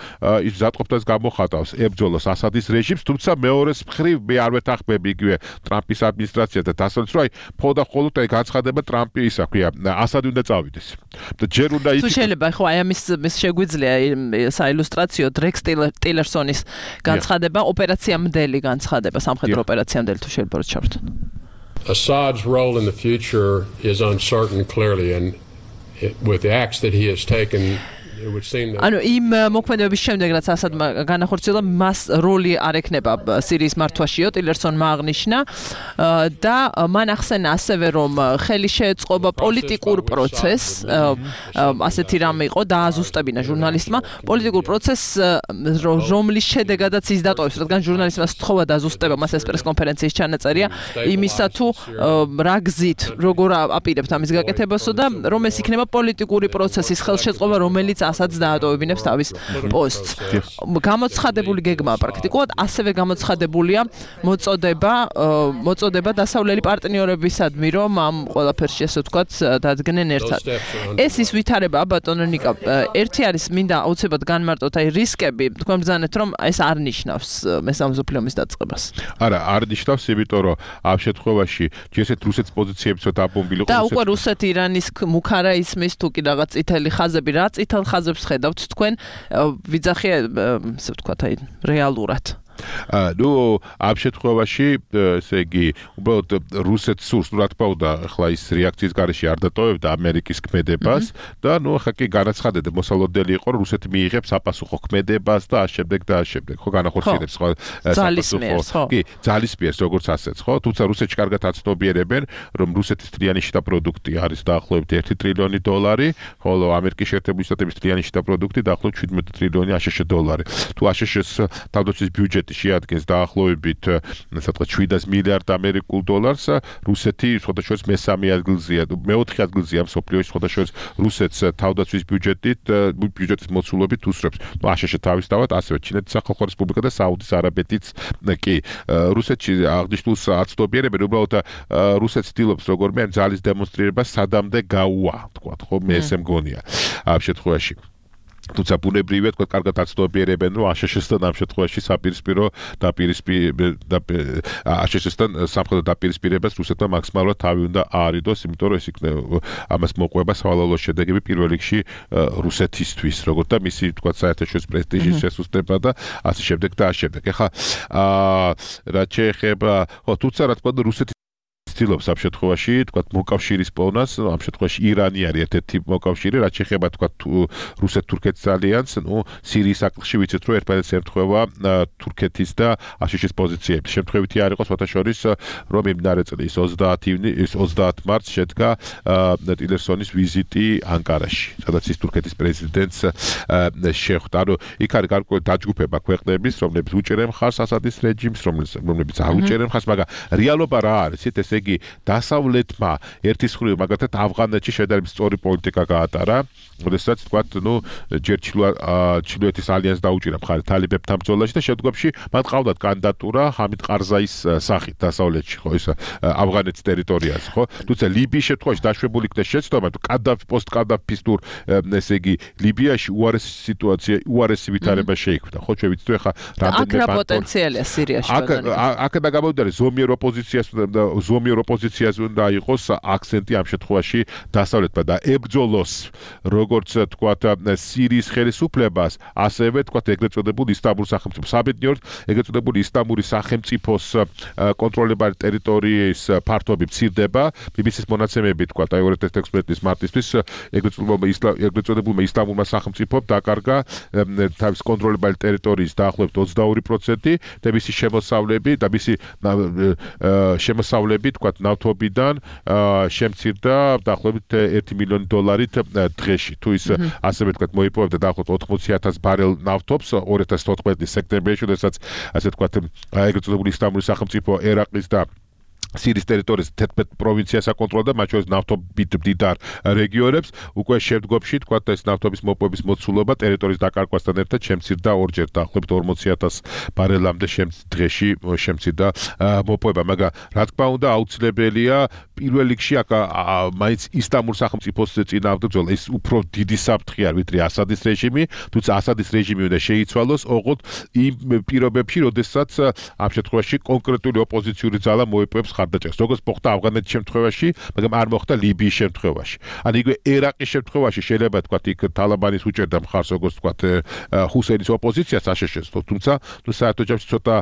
ის მზადყოფნას გამოხატავს ებრძოლოს ასადის რეჟიმს, თუმცა მეორეს მხრივ მე არ ვეთანხმები იგივე ტრამპის ადმინისტრაცია და დასავლეთ, რომ აი ფოდა ხოლოდ აი განცხადება ტრამპი ისა ქვია, ასადი უნდა წავიდეს. და ჯერ უნდა ის თუ შეიძლება ხო აი ამის შეგვიძლია საილუსტრაციო დრექს ტილერსონის განცხადება ოპერაციამდელი განცხადება სამხედრო ოპერაციამდელი თუ შეიძლება რომ ჩავთვალოთ. Assad's role in the future is uncertain clearly, and it, with the acts that he has taken, it would seem that ანუ იმ მოქმედებების შემდეგ რაც ასადმა განახორციელა, მას როლი არ ექნება სირიის მართვაშიო, ტილერსონმა აღნიშნა და მან ახსენა ასევე რომ ხელი შეეწყობა პოლიტიკურ პროცესს, ასეთი რამე იყო დააზუსტებინა ჟურნალისტმა, პოლიტიკურ პროცესს, რომლის შედეგადაც ის დატოვებს, რადგან ჟურნალისტმა სთხოვა დაზუსტება, მას ეს პრესკონფერენციის ჩანაწერია იმისა თუ რა გზით, როგორ აპირებთ ამის გაკეთებასო და რომ ეს იქნება პოლიტიკური პროცესის ხელშეწყობა, რომელიც ასადს დაატოვებინებს თავის პოსტს. გამოცხადებული გეგმაა პრაქტიკულად, ასევე გამოცხადებულია მოწოდება, მოწოდება დასავლელი პარტნიორებისადმი, რომ ამ ყველაფერში ესე ვთქვათ, დადგნენ ერთად. ეს ის ვითარება, ბატონო ნიკა, ერთი არის მინდა აუცილებლად განმარტოთ, აი რისკები, თქვენ ბრძანეთ, რომ ეს არ ნიშნავს მესამე მსოფლიო ომის დაწყებას. არა, არ ნიშნავს, იმიტომ რომ ამ შემთხვევაში ჯერეთ რუსეთის პოზიციებიც დაბომბილი იყო. და უკვე რუსეთი ირანის მუქარა ისმის თუ კი რაღაც წითელი ხაზები, რა წითელ ხაზებს ხედავთ თქვენ ვიძახი ესე ვთქვათ აი რეალურად. ნუ ამ შემთხვევაში ესე იგი უბრალოდ რუსეთს სურს რა თქმა უნდა ახლა ის რეაქციის გარეშე არ დატოვებდა ამერიკის ქმედებას და ნუ ახლა კი განაცხადება მოსალოდნელი იყო რომ რუსეთი მიიღებს საპასუხო ქმედებას და ამ შემდეგ და ამ შემდეგ ხო განახორციელებს ხო საპასუხო კი ძალისმიერს როგორც ასეც ხო თუმცა რუსეთში კარგად აცნობიერებენ რომ რუსეთის თლიანი შიდა პროდუქტი არის დაახლოებით ერთი ტრილიონი დოლარი ხოლო ამერიკის შეერთებული შტატების თლიანი შიდა პროდუქტი დაახლოებით შვიდმეტი ტრილიონი აშშ დოლარი თუ აშშ-ს თავდაცვის ბიუჯეტი შეადგენს დაახლოებით სადღაც შვიდას მილიარდ ამერიკულ დოლარს რუსეთი სხვადასხვა მესამე ადგილზეა მეოთხე ადგილზეა მსოფლიოში სხვადასხვა რუსეთს თავდაცვის ბიუჯეტით ბიუჯეტის მოცულობით უსწრებს ნუ აშშ თავისთავად ასევე ჩინეთის სახალხო რესპუბლიკა და საუდის არაბეთიც კი რუსეთში აღნიშნულს აცნობიერებენ უბრალოდ რუსეთს ცდილობს როგორმე ამ ძალის დემონსტრირება სადამდე გაუვა თქვა ხო მე ესე მგონია ამ შემთხვევაში თუმცა ბუნებრივია თქვა კარგად აცნობიერებენ რომ აშშ-თან ამ შემთხვევაში საპირისპირო დაპირისპირება აშშ-თან სამხედრო დაპირისპირებას რუსეთმა მაქსიმალურად თავი უნდა აარიდოს, იმიტომ რომ ეს იქნება ამას მოყვება სავალალო შედეგები პირველ რიგში რუსეთისთვის, როგორც და მისი თქვა საერთაშორისო პრესტიჟის შესუსტება და ასე შემდეგ და ასე შემდეგ. ეხლა რაც შეეხება ხო თუმცა რა თქმა უნდა რუსეთი ცდილობს ამ შემთხვევაში თქვა მოკავშირის პოვნას, ამ შემთხვევაში ირანი არის ერთ-ერთი მოკავშირე, რაც შეეხება თქვა რუსეთ-თურქეთის ალიანსს, ნუ სირიის საკითხში ვიცით რომ ერთმანეთს ემთხვევა თურქეთის და აშშ-ის პოზიციები. შემთხვევითი არ იყოს მოთაშორის რომ მიმდინარე წლის ოცდაათი მარტს შედგა ტილერსონის ვიზიტი ანკარაში, სადაც ის თურქეთის პრეზიდენტს შეხვდა. ანუ იქ არის გარკვეული დაჯგუფება ქვეყნების, რომლებიც უჭერენ ხარს ასადის რეჟიმს, რომლებიც არ უჭერენ ხარს, მაგრამ რეალობა რა არის? ეს იგი დასავლეთმა ერთის მხრივ მაგალითად ავღანეთში შედარებით სწორი პოლიტიკა გაატარა, როდესაც თქვა, ნუ ჯერ ჩრდილოეთის ალიანსს დაუჭირა მხარი თალიბებთან ბრძოლაში და შემდგომში მათ ყავდათ კანდიდატურა ჰამიდ ყარზაის სახით დასავლეთში, ხო, ის ავღანეთის ტერიტორიაზე, ხო? თუმცა ლიბიის შემთხვევაში დაშვებული იქნა შეცდომა, თუ კადაფი პოსტ-კადაფის თუ ესე იგი ლიბიაში უარესი სიტუაცია, უარესი ვითარება შეიქმნა, ხო? ჩვენ ვიცით ახლა რამდენიმე პოტენციალია სირიაში ბატონო. აქ აქ და გამოვიდა ზომიერ ოპოზიციას და ზომიერ ოპოზიციაზე უნდა იყოს აქცენტი ამ შემთხვევაში დასავლეთმა და ებრძოლოს როგორც თქვათ სირიის ხელისუფლებას, ასევე თქვათ ეგრეთ წოდებულ ისტანბულის სახელმწიფოს. საბედნიეროდ ეგრეთ წოდებული ისტანბულის სახელმწიფოს კონტროლებარი ტერიტორიის ფართობი მცირდება. ბი ბი სის მონაცემები თქვათ აი ორი ათი ექვსმეტი წლის მარტისთვის ეგრეთ წოდებულმა ისტანბულმა სახელმწიფომ დაკარგა თავის კონტროლებარი ტერიტორიის დაახლოებით ოცდაორი პროცენტი და მისი შემოსავლები და მისი შემოსავლები თქვათ ნავთობიდან შემცირდა დაახლოებით ერთი მილიონი დოლარით დღეში. თუ ის ასევე თქვათ მოიპოვებდა დაახლოებით ოთხმოცი ათას ბარელ ნავთობს ორი ათას თოთხმეტი წლის სექტემბერში, როდესაც ასე თქვათ ეგრეთ წოდებული ისტანბულის სახელმწიფო ერაყის და სირიის ტერიტორიის თერთმეტ პროვინციას აკონტროლდა, მათ შორის ნავთობით მდიდარ რეგიონებს. უკვე შემდგომში თქვათ ეს ნავთობის მოპოვების მოცულობა ტერიტორიის დაკარგვასთან ერთად შემცირდა ორჯერ, დაახლოებით ორმოცი ათას ბარელამდე დღეში შემცირდა მოპოვება, მაგრამ რა თქმა უნდა აუცილებელია პირველ რიგში აქ მაინც ისტანბულის სახელმწიფოს წინააღმდეგ ბრძოლა. ეს უფრო დიდი საფრთხე არის, ვიდრე ასადის რეჟიმი, თუმცა ასადის რეჟიმი უნდა შეიცვალოს ოღონდ იმ პირობებში, როდესაც ამ შემთხვევაში კონკრეტული ოპოზიციური ძალა მოიპოვებს ხარდაჭერას, როგორც მოხდა ავღანეთის შემთხვევაში, მაგრამ არ მოხდა ლიბიის შემთხვევაში. ან იგივე ერაყის შემთხვევაში შეიძლება თქვა იქ თალაბანის უჭერდა მხარს, როგორც თქვა ჰუსეინის ოპოზიციას აშშ-ს, თუმცა თუ საერთოდ ჯამში ცოტა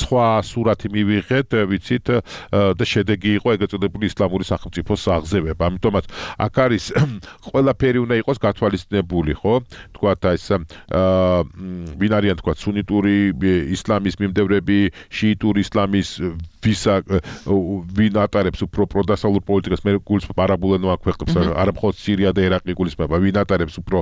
სხვა სურათი მივიღეთ, ვიცით და შედეგი იყო ეგრეთ წოდებული ისლამური სახელმწიფოს აღზევება. ამიტომაც აქ არის ყველაფერი უნდა იყოს გათვალისწინებული, ხო? თქვა ეს ვინ არიან თქვა სუნიტური ისლამის მიმდევრები, შიიტური ისლამის ვისა ვინ ატარებს უფრო პროდასავლურ პოლიტიკას, მე გულისხმობ არაბულენოვან ქვეყნებს, არა მხოლოდ სირია და ერაყი გულისხმობა, ვინ ატარებს უფრო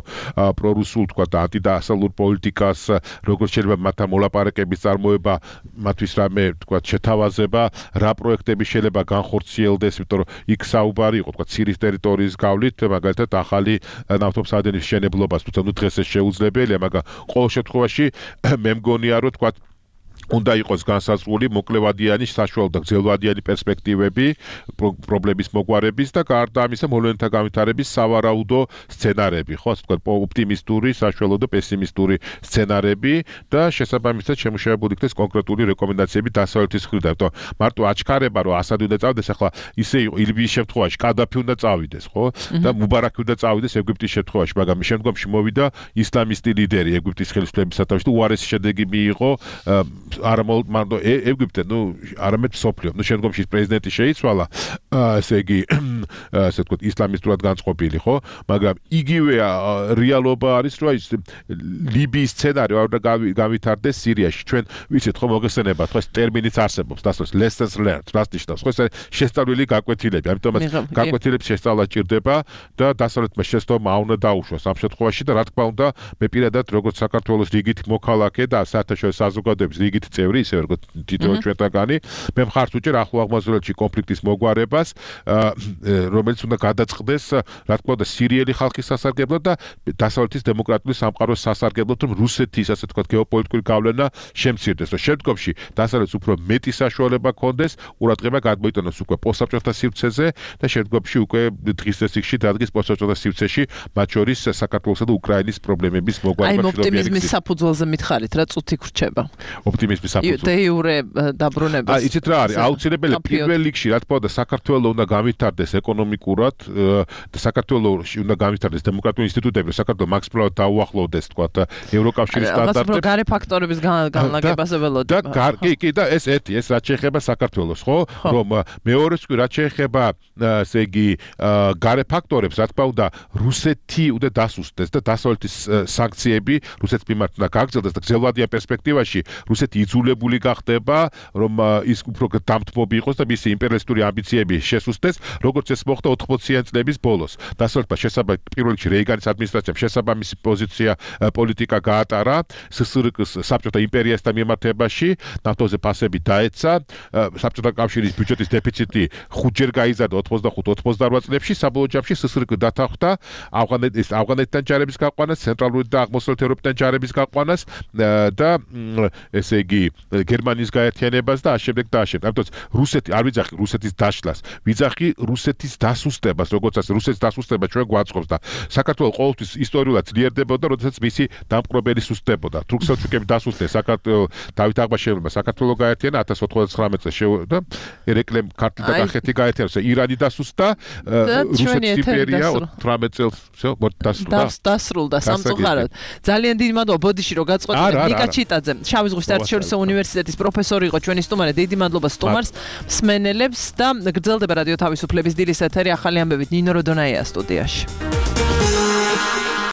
პრორუსულ თქვა და ანტიდასავლურ პოლიტიკას, როგორც შეიძლება მათთან მოლაპარაკების წარმოება, მათთვის რამე თქვა შეთავაზება, რა პროექტები შეიძლება განხორციელდეს, იმიტომ რომ იქ საუბარი იყო თქვა სირიის ტერიტორიის გავლით, მაგალითად ახალი ნავთობსადენის მშენებლობას, თუმცა ნუ დღეს ეს შეუძლებელია, მაგრამ ყოველ შემთხვევაში მე მგონია რომ თქვა უნდა იყოს განსაზღვრული მოკლევადიანი, საშუალო და გრძელვადიანი პერსპექტივები პრობლემის მოგვარების და გარდა ამისა მოვლენათა განვითარების სავარაუდო სცენარები, ხო, ასე ვთქვათ, ოპტიმისტური, საშუალო და პესიმისტური სცენარები და შესაბამისად შემუშავებული იქნეს კონკრეტული რეკომენდაციები დასავლეთის მხრიდან. მარტო აჩქარება, რომ ასადი უნდა წავიდეს, ახლა ისე იყო ლიბიის შემთხვევაში, კადაფი უნდა წავიდეს, ხო? და მუბარაკი უნდა წავიდეს ეგვიპტის შემთხვევაში, მაგრამ შემდგომში მოვიდა ისლამისტი ლიდერი ეგვიპტის ხელისუფლების სათავეში და უარესი შედეგი მიიღო არა მარტო ეგვიპტე, ნუ არამედ სოფლიო. ნუ შემდგომში პრეზიდენტი შეიცვალა, ესე იგი, ასე ვთქვათ, ისლამისტურად განწყობილი, ხო? მაგრამ იგივე რეალობა არის, რომ ის ლიბიის სცენარი არ უნდა გავითარდეს სირიაში. ჩვენ ვიცით, ხო, მოგესწრებათ, ხო, ეს ტერმინიც არსებობს, დასწროს lessons learned, რას ნიშნავს? ხო, ეს შესწავლილი გაკვეთილები, ამიტომაც გაკვეთილების შესწავლა ჭირდება და დასავლეთმა შეცდომა უნდა დაუშვას ამ შემთხვევაში და რა თქმა უნდა, მე პირადად როგორც საქართველოს რიგით მოქალაქე და საერთაშორისო საზოგადოების რიგით წევრი, ისე როგორ თითოეულ ჩვენთაგანი. მე მხარს უჭერ ახლო აღმოსავლეთში კონფლიქტის მოგვარებას, რომელიც უნდა გადაწყდეს, რა თქმა უნდა, სირიელი ხალხის სასარგებლოდ და დასავლეთის დემოკრატიული სამყაროს სასარგებლოდ, რომ რუსეთის, ასე ვთქვათ, გეოპოლიტიკური გავლენა შემცირდეს. რომ შემდგომში დასავლეთს უფრო მეტი საშუალება ქონდეს, ყურადღება გადმოიტანოს უკვე პოსტსაბჭოთა სივრცეზე და შემდგომში უკვე დღის წესრიგში დადგეს პოსტსაბჭოთა სივრცეში, მათ შორის საქართველოსა და უკრაინის პრობლემების მოგვარება. აი, ოპტიმიზმის საფუძველზე მითხარით, რა წუთი ხრჩება. ოპტიმიზმის საფუძველზე. დე იურე დაბრუნებას. აი, იცით რა არის? აუცილებელი პირველ რიგში, რა თქმა უნდა, საქართველოს უნდა გავითარდეს ეკონომიკურად და საქართველოს უნდა გავითარდეს დემოკრატიული ინსტიტუტები, საქართველოს მაქსიმალურად დაუახლოვდეს, თქვათ, ევროკავშირის სტანდარტებს. ალბათ გარე ფაქტორების განლაგებაზე ველოდი. და კი, კი, და ეს ერთი, ეს რაც შეეხება საქართველოს, ხო? რომ მეორეს კი რაც შეეხება, ესე იგი, გარე ფაქტორებს, რა თქმა უნდა, რუსეთი უნდა დასუსტდეს და დასავლეთის სანქციები რუსეთის მიმართ უნდა გაგრძელდეს და გრძელვადიან პერსპექტივაში რუსეთი იძულებული გახდება, რომ ის უფრო დამთმობი იყოს და მისი იმპერიალისტური ამბიციები შესუსტდეს, როგორც ეს მოხდა ოთხმოციანი წლების ბოლოს. დასავლეთმა შესაბამისად პირველ რიგში რეიგანის ადმინისტრაციამ შესაბამისი პოზიცია პოლიტიკა გაატარა სსრგ-ს საბჭოთა იმპერიასთან მიმართებაში, ნავთობზე ფასები დაეცა, საბჭოთა კავშირის ბიუჯეტის დეფიციტი ხუთჯერ გაიზარდა ოცდახუთ ოცდაოთხ წლებში, საბოლოო ჯამში სსრგ დათანხმდა ავღანეთის ავღანეთთან ჯარების გაყვანას, ცენტრალური და აღმოსავლეთ ევროპიდან ჯარების გაყვანას და ესე იგი გერმანიის გაერთიანებას და ამავდროულად და ამავდროულად. ამიტომ რუსეთი არ ვიძახი რუსეთის დაშლას, ვიძახი რუსეთის დასუსტებას, როგორც ასე რუსეთის დასუსტება ჩვენ გვაწყობს და საქართველოს ყოველთვის ისტორიულად ძლიერდებოდა, როდესაც მისი დამპყრობელი სუსტდებოდა. თურქ-სელჩუკები დასუსტეს საქართველოს დავით აღმაშენებელმა საქართველოს გაერთიანა ათას ოცდათხმეტ წელს და ერეკლემ ქართლი და კახეთი გაერთიანა, ირანი დასუსტდა, რუსეთის იმპერია ოცდაოთხ წელს დასრულდა. დასრულდა სამწუხაროდ. ძალიან დიდი მადლობა ბოდიში რომ გაწყვეტილეთ. ნიკა ჩიტაძე, შავი ზღვის საერთაშორისო უნივერსიტეტის პროფესორი იყო ჩვენი სტუმარი. დიდი მადლობა სტუმარს, მსმენელებს და გრძელდება რადიო თავისუფლების დილის ეთერი ახალი ამბებით ნინო როდონაია სტუდიაში.